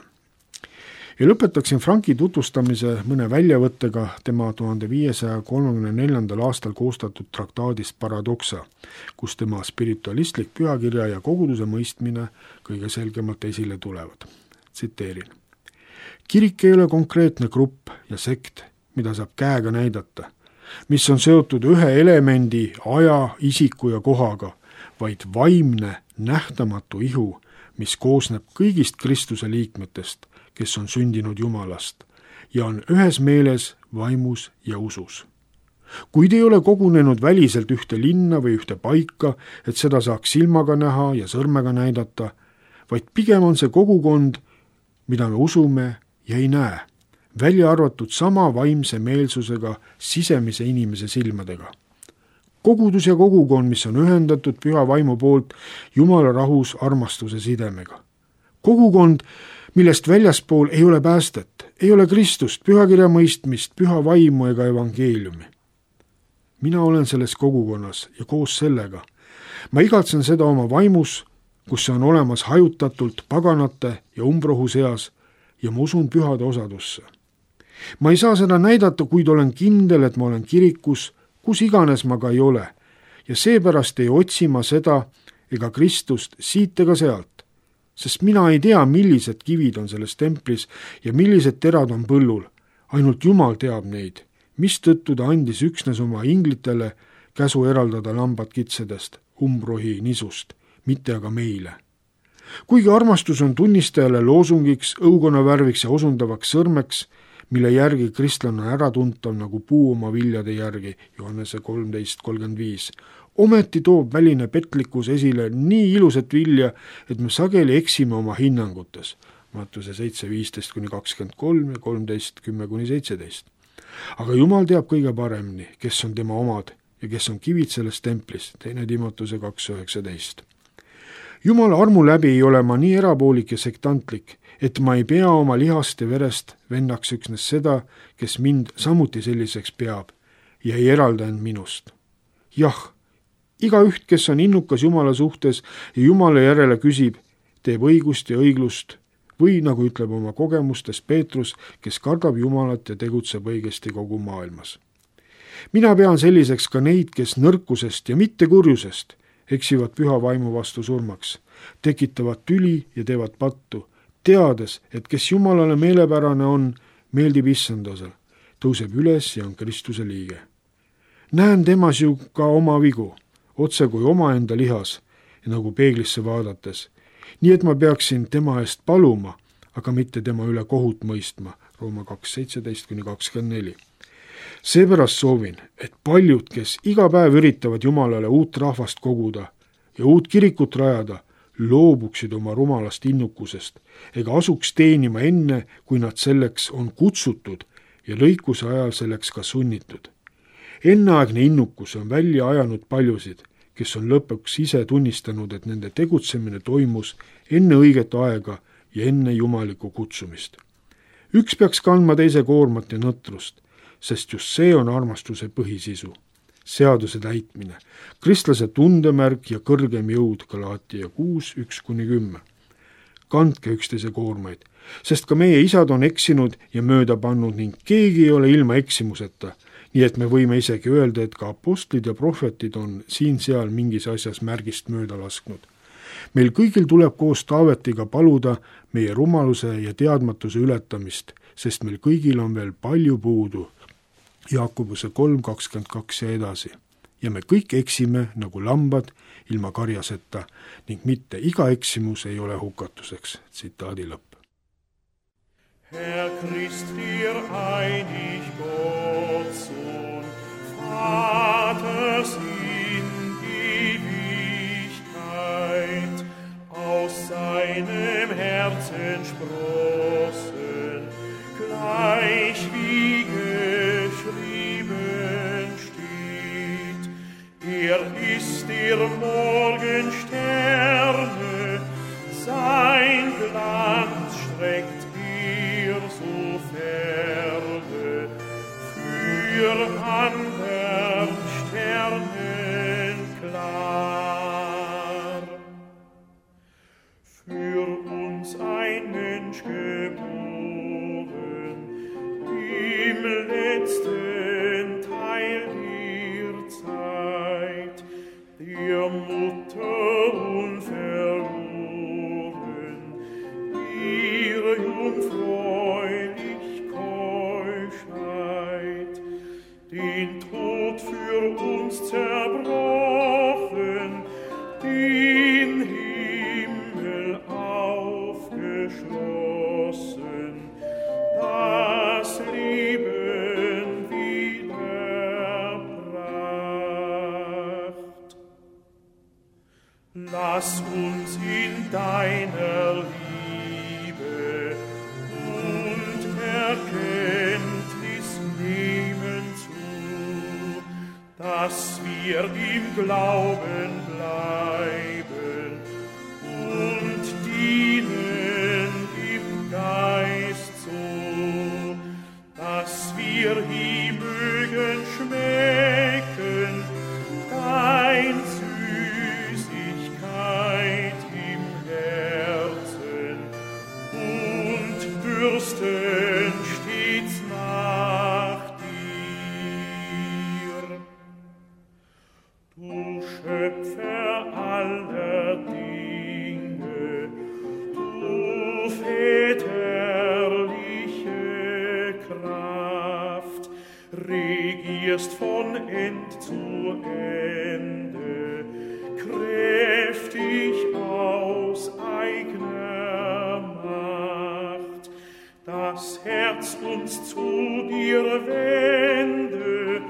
Ja lõpetaksin Franki tutvustamise mõne väljavõttega tema tuhande viiesaja kolmekümne neljandal aastal koostatud traktaadist Paradoxa, kus tema spiritualistlik pühakirja ja koguduse mõistmine kõige selgemalt esile tulevad. Tsiteerin. Kirik ei ole konkreetne grupp ja sekt, mida saab käega näidata, mis on seotud ühe elemendi, aja, isiku ja kohaga, vaid vaimne, nähtamatu ihu, mis koosneb kõigist Kristuse liikmetest, kes on sündinud Jumalast ja on ühes meeles, vaimus ja usus. Kuid ei ole kogunenud väliselt ühte linna või ühte paika, et seda saaks silmaga näha ja sõrmega näidata, vaid pigem on see kogukond, mida me usume ja ei näe, välja arvatud sama vaimse meelsusega sisemise inimese silmadega. Kogudus ja kogukond, mis on ühendatud püha vaimu poolt Jumala rahus armastuse sidemega. Kogukond, millest väljaspool ei ole päästet, ei ole Kristust, pühakirja mõistmist, püha vaimu ega evangeeliumi. Mina olen selles kogukonnas ja koos sellega. Ma igatsen seda oma vaimus, kus see on olemas hajutatult paganate ja umbrohu seas ja ma usun pühade osadusse. Ma ei saa seda näidata, kuid olen kindel, et ma olen kirikus, kus iganes ma ka ei ole, ja seepärast ei otsi ma seda ega Kristust siit ega sealt, sest mina ei tea, millised kivid on selles templis ja millised terad on põllul, ainult Jumal teab neid, mistõttu ta andis üksnes oma inglitele käsu eraldada lambad kitsedest, umbrohi nisust, mitte aga meile. Kuigi armastus on tunnistajale loosungiks, õukonavärviks ja osundavaks sõrmeks, mille järgi kristlane on äratuntav nagu puu oma viljade järgi, Johannese kolmteist kolmkümmend viis. Ometi toob väline petlikkus esile nii ilusat vilja, et me sageli eksime oma hinnangutes. Mattuse seitse viisteist kuni kakskümmend kolm ja kolmteist kümme kuni seitseteist. Aga Jumal teab kõige paremini, kes on tema omad ja kes on kivid selles templis, teine Timotuse kaks üheksateist. Jumala armu läbi ei ole ma nii erapoolik ja sektantlik, et ma ei pea oma lihast ja verest vennaks üksnes seda, kes mind samuti selliseks peab ja ei eralda end minust. Jah, igaüht, kes on innukas Jumala suhtes ja Jumala järele küsib, teeb õigust ja õiglust või nagu ütleb oma kogemustes Peetrus, kes kardab Jumalat ja tegutseb õigesti kogu maailmas. Mina pean selliseks ka neid, kes nõrkusest ja mitte kurjusest eksivad püha vaimu vastu surmaks, tekitavad tüli ja teevad pattu, teades, et kes Jumalale meelepärane on, meeldib issandasel, tõuseb üles ja on Kristuse liige. Näen temas ju ka oma vigu, otse kui omaenda lihas ja nagu peeglisse vaadates, nii et ma peaksin tema eest paluma, aga mitte tema üle kohut mõistma, Rooma kaks seitseteist kuni kakskümmend neli. Seepärast soovin, et paljud, kes iga päev üritavad Jumalale uut rahvast koguda ja uut kirikut rajada, loobuksid oma rumalast innukusest ega asuks teenima enne, kui nad selleks on kutsutud ja lõikuse ajal selleks ka sunnitud. Enneaegne innukus on välja ajanud paljusid, kes on lõpuks ise tunnistanud, et nende tegutsemine toimus enne õiget aega ja enne jumalikku kutsumist. Üks peaks kandma teise koormat ja nõtrust, sest just see on armastuse põhisisu, seaduse täitmine, kristlase tundemärk ja kõrgem jõud, Galaatia kuus üks kuni kümme. Kandke üksteise koormaid, sest ka meie isad on eksinud ja mööda pannud ning keegi ei ole ilma eksimuseta, nii et me võime isegi öelda, et ka apostlid ja prohvetid on siin-seal mingis asjas märgist mööda lasknud. Meil kõigil tuleb koos Taavetiga paluda meie rumaluse ja teadmatuse ületamist, sest meil kõigil on veel palju puudu, Jaakobuse kolm kakskümmend kaks ja edasi. Ja me kõik eksime nagu lambad ilma karjaseta ning mitte iga eksimus ei ole hukatuseks. Tsitaadi lõpp. Herr Christ, dir einig Gott, Sohn, Vaters in Ewigkeit, aus seinem Herzen sprossen, gleich wie Er ist der Morgensterne, sein Glanz streckt ihr so ferne, für andern Sternen klar. Für uns ein Mensch geboren, im letzten Teil der Zeit, der Mutter unverloren, ihre jungfräulich Keuschheit, den Tod für uns zerbrochen, den Himmel Lass uns in deiner Liebe und Erkenntnis nehmen zu, dass wir im Glauben bleiben und dienen im Geist so, dass wir ihm mögen schmecken, dein Süßigkeit im Herzen und dürsten stets nach dir. Du Schöpfer aller Dinge, du väterliche Kraft, regierst von End zu Ende, kräftig aus eigener Macht, das Herz uns zu dir wende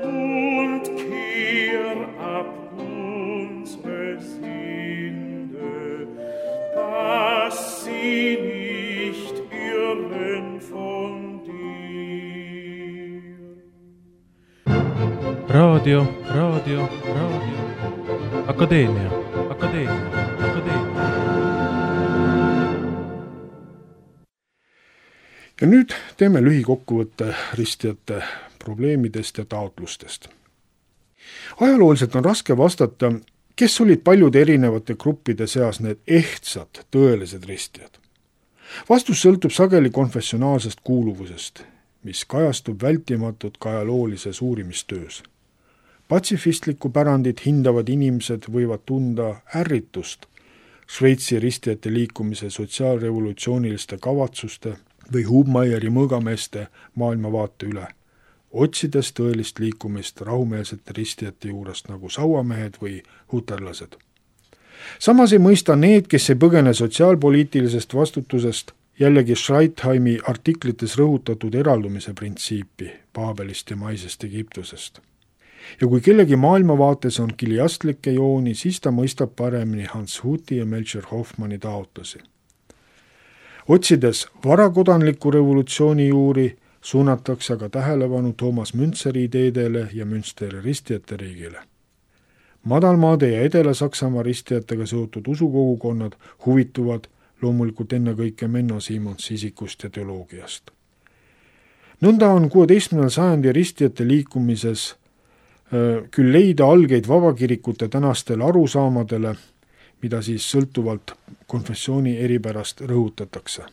und kehr ab unsere Sünde, dass sie nicht irren von dir. Radio, Radio, Radio. Akadeemia, Akadeemia, Akadeemia. Ja nüüd teeme lühikokkuvõtte ristijate probleemidest ja taotlustest. Ajalooliselt on raske vastata, kes olid paljude erinevate gruppide seas need ehtsad, tõelised ristijad. Vastus sõltub sageli konfessionaalsest kuuluvusest, mis kajastub vältimatult ka ajaloolises uurimistöös. Patsifistlikku pärandit hindavad inimesed võivad tunda ärritust Šveitsi ristijate liikumise sotsiaalrevolutsiooniliste kavatsuste või Hubmeieri mõõgameeste maailmavaate üle, otsides tõelist liikumist rahumeelsete ristijate juurest nagu sauamehed või huterlased. Samas ei mõista need, kes ei põgene sotsiaalpoliitilisest vastutusest, jällegi Schreitheimi artiklites rõhutatud eraldumise printsiipi Paabelist ja maisest Egiptusest. Ja kui kellegi maailmavaates on kiliastlikke jooni, siis ta mõistab paremini Hans Huthi ja Melchior Hoffmanni taotlusi. Otsides varakodanliku revolutsiooni juuri, suunatakse aga tähelepanu Toomas Müntseri ideedele ja Münsteri ristijate riigile. Madalmaade ja Edela-Saksamaa ristijatega seotud usukogukonnad huvituvad loomulikult ennekõike Menno Simonsi isikust ja teoloogiast. Nõnda on kuueteistkümnendal sajandi ristijate liikumises küll leida algeid vabakirikute tänastele arusaamadele, mida siis sõltuvalt konfessiooni eripärast rõhutatakse.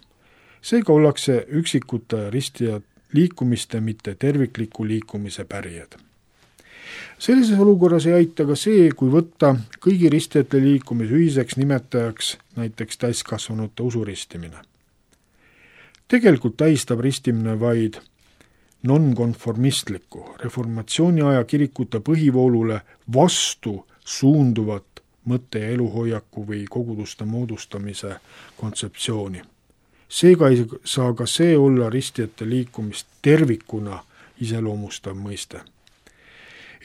Seega ollakse üksikute ristijad liikumiste, mitte tervikliku liikumise pärijad. Sellises olukorras ei aita ka see, kui võtta kõigi ristijate liikumise ühiseks nimetajaks näiteks täiskasvanute usuristimine. Tegelikult tähistab ristimine vaid nonkonformistlikku reformatsiooni aja kirikute põhivoolule vastu suunduvat mõtte- ja eluhoiaku või koguduste moodustamise kontseptsiooni. Seega ei saa ka see olla ristijate liikumist tervikuna iseloomustav mõiste.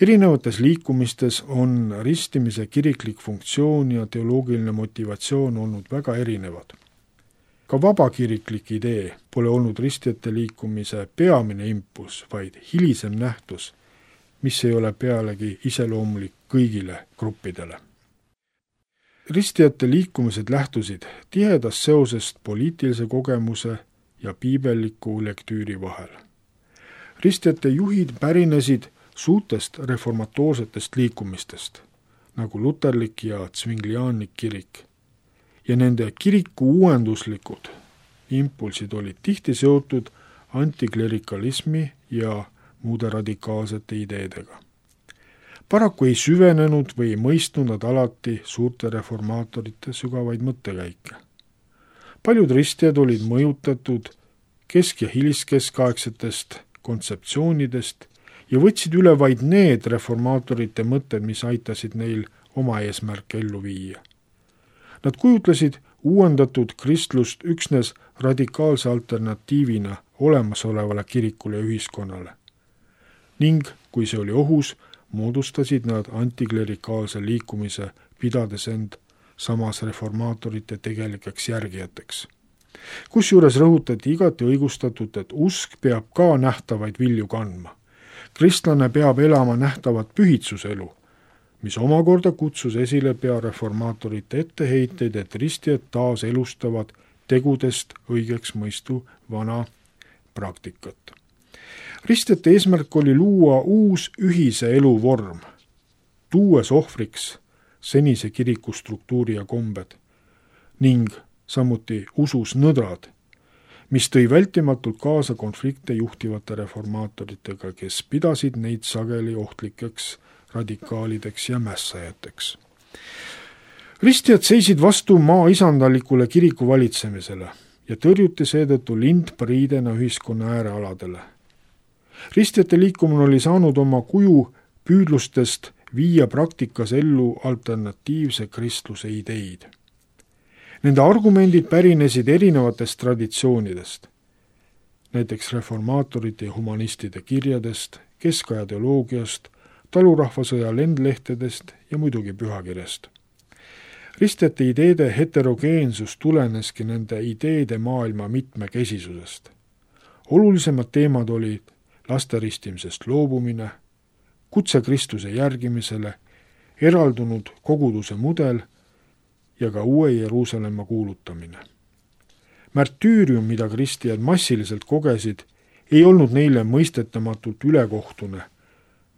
Erinevates liikumistes on ristimise kiriklik funktsioon ja teoloogiline motivatsioon olnud väga erinevad. Ka vabakiriklik idee pole olnud ristijate liikumise peamine impulss, vaid hilisem nähtus, mis ei ole pealegi iseloomulik kõigile gruppidele. Ristijate liikumised lähtusid tihedast seosest poliitilise kogemuse ja piibelliku lektüüri vahel. Ristijate juhid pärinesid suurtest reformatoorsetest liikumistest, nagu luterlik ja zwingliaanlik kirik, ja nende kiriku uuenduslikud impulsid olid tihti seotud antiklerikalismi ja muude radikaalsete ideedega. Paraku ei süvenenud või ei mõistnud nad alati suurte reformaatorite sügavaid mõttekäike. Paljud ristijad olid mõjutatud kesk- ja hiliskeskaegsetest kontseptsioonidest ja võtsid üle vaid need reformaatorite mõtted, mis aitasid neil oma eesmärke ellu viia. Nad kujutlesid uuendatud kristlust üksnes radikaalse alternatiivina olemasolevale kirikule ja ühiskonnale. Ning kui see oli ohus, moodustasid nad antiklerikaalse liikumise pidades end samas reformaatorite tegelikeks järgijateks. Kusjuures rõhutati igati õigustatult, et usk peab ka nähtavaid vilju kandma. Kristlane peab elama nähtavat pühitsuselu, mis omakorda kutsus esile pea reformaatorite etteheiteid, et ristijad taas elustavad tegudest õigeks mõistu vana praktikat. Ristjate eesmärk oli luua uus ühise elu vorm, tuues ohvriks senise kiriku struktuuri ja kombed ning samuti usus nõdrad, mis tõi vältimatult kaasa konflikte juhtivate reformaatoritega, kes pidasid neid sageli ohtlikeks radikaalideks ja mässajateks. Ristjad seisid vastu maa isandalikule kiriku valitsemisele ja tõrjuti seetõttu lindpariidena ühiskonna äärealadele. Ristjate liikumine oli saanud oma kuju püüdlustest viia praktikas ellu alternatiivse kristluse ideid. Nende argumendid pärinesid erinevatest traditsioonidest, näiteks reformaatorite ja humanistide kirjadest, keskaja teoloogiast, talurahvasõja lendlehtedest ja muidugi pühakirjast. Ristjate ideede heterogeensus tuleneski nende ideede maailma mitmekesisusest. Olulisemad teemad olid laste ristimisest loobumine, kutse Kristuse järgimisele, eraldunud koguduse mudel ja ka uue Jeruusalemma kuulutamine. Märtüürium, mida kristijad massiliselt kogesid, ei olnud neile mõistetamatult ülekohtune,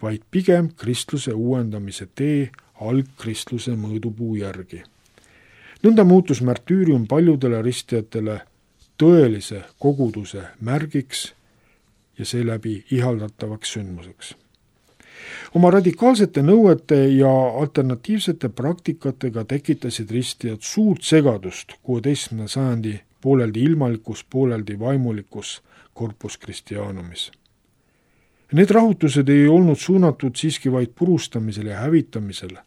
vaid pigem kristluse uuendamise tee algkristluse mõõdupuu järgi. Nõnda muutus märtüürium paljudele ristijatele tõelise koguduse märgiks ja seeläbi ihaldatavaks sündmuseks. Oma radikaalsete nõuete ja alternatiivsete praktikatega tekitasid ristijad suurt segadust kuueteistkümnenda sajandi pooleldi ilmalikus, pooleldi vaimulikus corpus Christianumis. Need rahutused ei olnud suunatud siiski vaid purustamisele ja hävitamisele,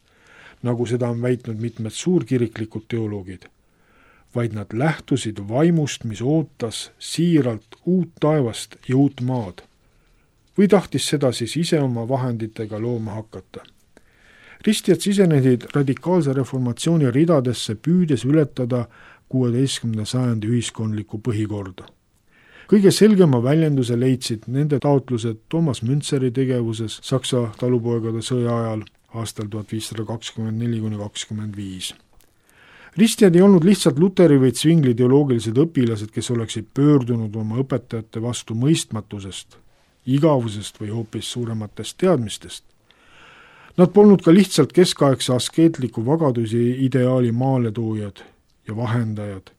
nagu seda on väitnud mitmed suurkiriklikud teoloogid, vaid nad lähtusid vaimust, mis ootas siiralt uut taevast ja uut maad, või tahtis seda siis ise oma vahenditega looma hakata. Ristijad sisenesid radikaalse reformatsiooni ridadesse, püüdes ületada kuueteistkümnenda sajandi ühiskondlikku põhikorda. Kõige selgema väljenduse leidsid nende taotlused Toomas Müntseri tegevuses Saksa talupoegade sõja ajal aastal tuhat viissada kakskümmend neli kuni kakskümmend viis. Ristijad ei olnud lihtsalt luteri või Zwingli teoloogilised õpilased, kes oleksid pöördunud oma õpetajate vastu mõistmatusest, igavusest või hoopis suurematest teadmistest. Nad polnud ka lihtsalt keskaegse askeetliku vagaduse ideaali maaletoojad ja vahendajad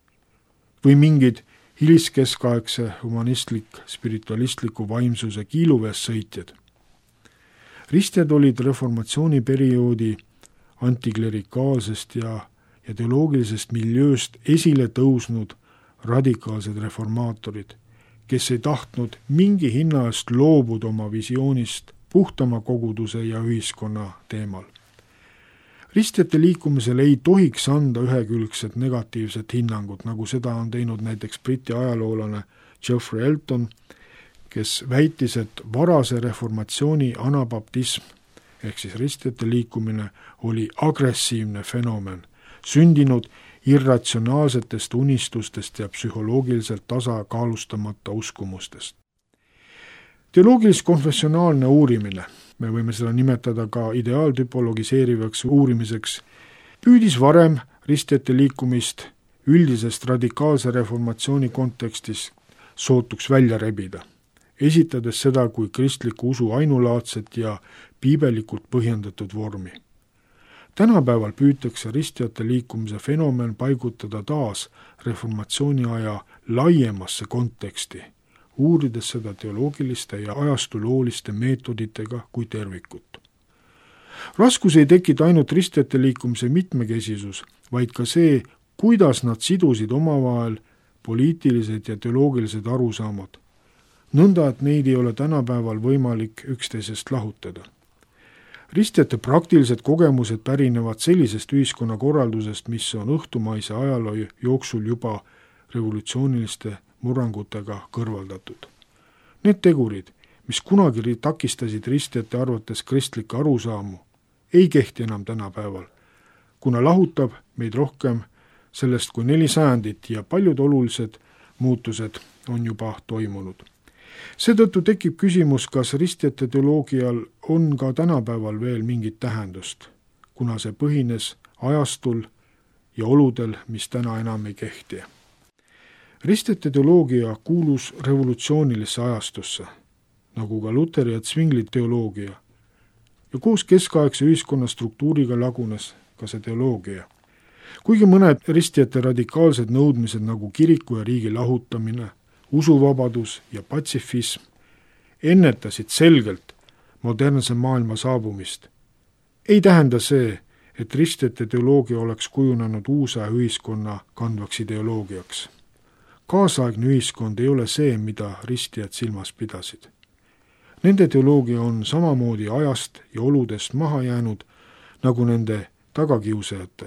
või mingid hiliskeskaegse humanistlik, spiritualistliku vaimsuse kiiluvees sõitjad. Ristjad olid reformatsiooni perioodi antiklerikaalsest ja, ja teoloogilisest miljööst esile tõusnud radikaalsed reformaatorid, kes ei tahtnud mingi hinna eest loobuda oma visioonist puhtama koguduse ja ühiskonna teemal. Ristjate liikumisele ei tohiks anda ühekülgset negatiivset hinnangut, nagu seda on teinud näiteks briti ajaloolane Geoffrey Elton, kes väitis, et varase reformatsiooni anabaptism ehk siis ristjate liikumine oli agressiivne fenomen, sündinud irratsionaalsetest unistustest ja psühholoogiliselt tasakaalustamata uskumustest. Teoloogilis-konfessionaalne uurimine, me võime seda nimetada ka ideaaltüpologiseerivaks uurimiseks, püüdis varem ristjate liikumist üldisest radikaalse reformatsiooni kontekstis sootuks välja rebida, esitades seda kui kristliku usu ainulaadset ja piibelikult põhjendatud vormi. Tänapäeval püütakse ristjate liikumise fenomen paigutada taas reformatsiooni aja laiemasse konteksti, uurides seda teoloogiliste ja ajastulooliste meetoditega kui tervikut. Raskus ei tekita ainult ristjate liikumise mitmekesisus, vaid ka see, kuidas nad sidusid omavahel poliitilised ja teoloogilised arusaamad, nõnda, et neid ei ole tänapäeval võimalik üksteisest lahutada. Ristjate praktilised kogemused pärinevad sellisest ühiskonnakorraldusest, mis on õhtumaise ajaloo jooksul juba revolutsiooniliste murrangutega kõrvaldatud. Need tegurid, mis kunagi takistasid ristjate arvates kristlikke arusaamu, ei kehti enam tänapäeval, kuna lahutab meid rohkem sellest kui neli sajandit ja paljud olulised muutused on juba toimunud. Seetõttu tekib küsimus, kas ristjate teoloogial on ka tänapäeval veel mingit tähendust, kuna see põhines ajastul ja oludel, mis täna enam ei kehti. Ristjate teoloogia kuulus revolutsioonilisse ajastusse, nagu ka Luteri ja Zwingli teoloogia, ja koos keskaegse ühiskonna struktuuriga lagunes ka see teoloogia. Kuigi mõned ristjate radikaalsed nõudmised nagu kiriku ja riigi lahutamine, usuvabadus ja patsifism ennetasid selgelt modernse maailma saabumist, ei tähenda see, et ristjate teoloogia oleks kujunenud uusaja ühiskonna kandvaks ideoloogiaks. Kaasaegne ühiskond ei ole see, mida ristjad silmas pidasid. Nende teoloogia on samamoodi ajast ja oludest maha jäänud nagu nende tagakiusajate,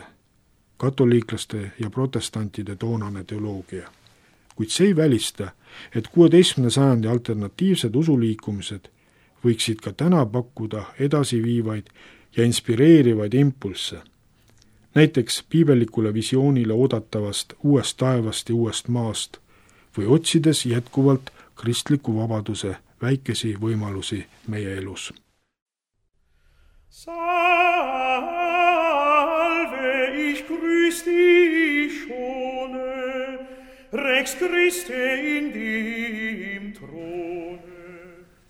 katoliiklaste ja protestantide toonane teoloogia. Kuid see ei välista, et kuueteistkümnenda sajandi alternatiivsed usuliikumised võiksid ka täna pakkuda edasiviivaid ja inspireerivaid impulsse. Näiteks piibellikule visioonile oodatavast uuest taevast ja uuest maast või otsides jätkuvalt kristliku vabaduse väikesi võimalusi meie elus. Salve, ich grüß dich schone, Rex Christe in dem Throne.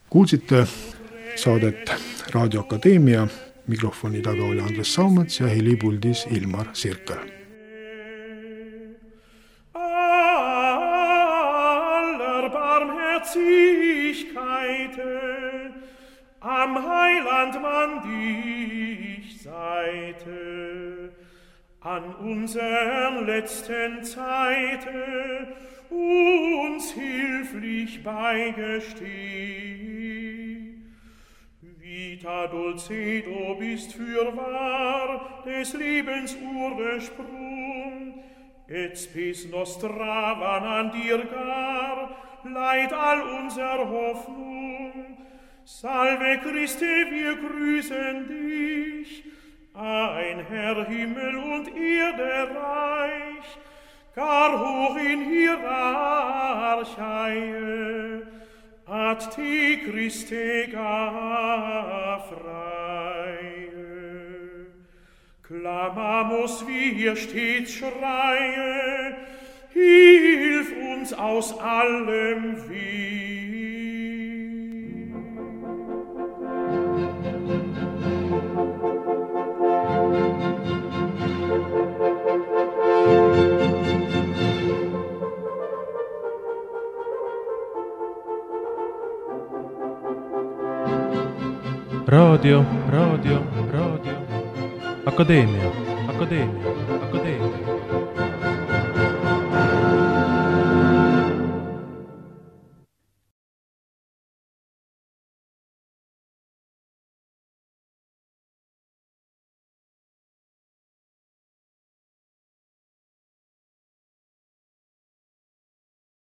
Kuulsite saadet Raadio Akadeemia, mikrofoni taga oli Andres Saumets ja helipuldis Ilmar Sirkal. Aller Barmherzigkeite am Heiland man dich Seite, an unseren letzten Zeite uns hilflich beigesteh. Vita Dulcedo bist fürwahr des Lebens Ursprung, et spes nostra van an dir gar, leid all unser Hoffnung. Salve Christe, wir grüßen dich, ein Herr Himmel und Erde reich, gar hoch in Hierarchie, ad te Christe gar freie. Clamamus, wie hier stets schreie, hilf uns aus allem Weh. Raadio, raadio, raadio, Akadeemia, Akadeemia, Akadeemia.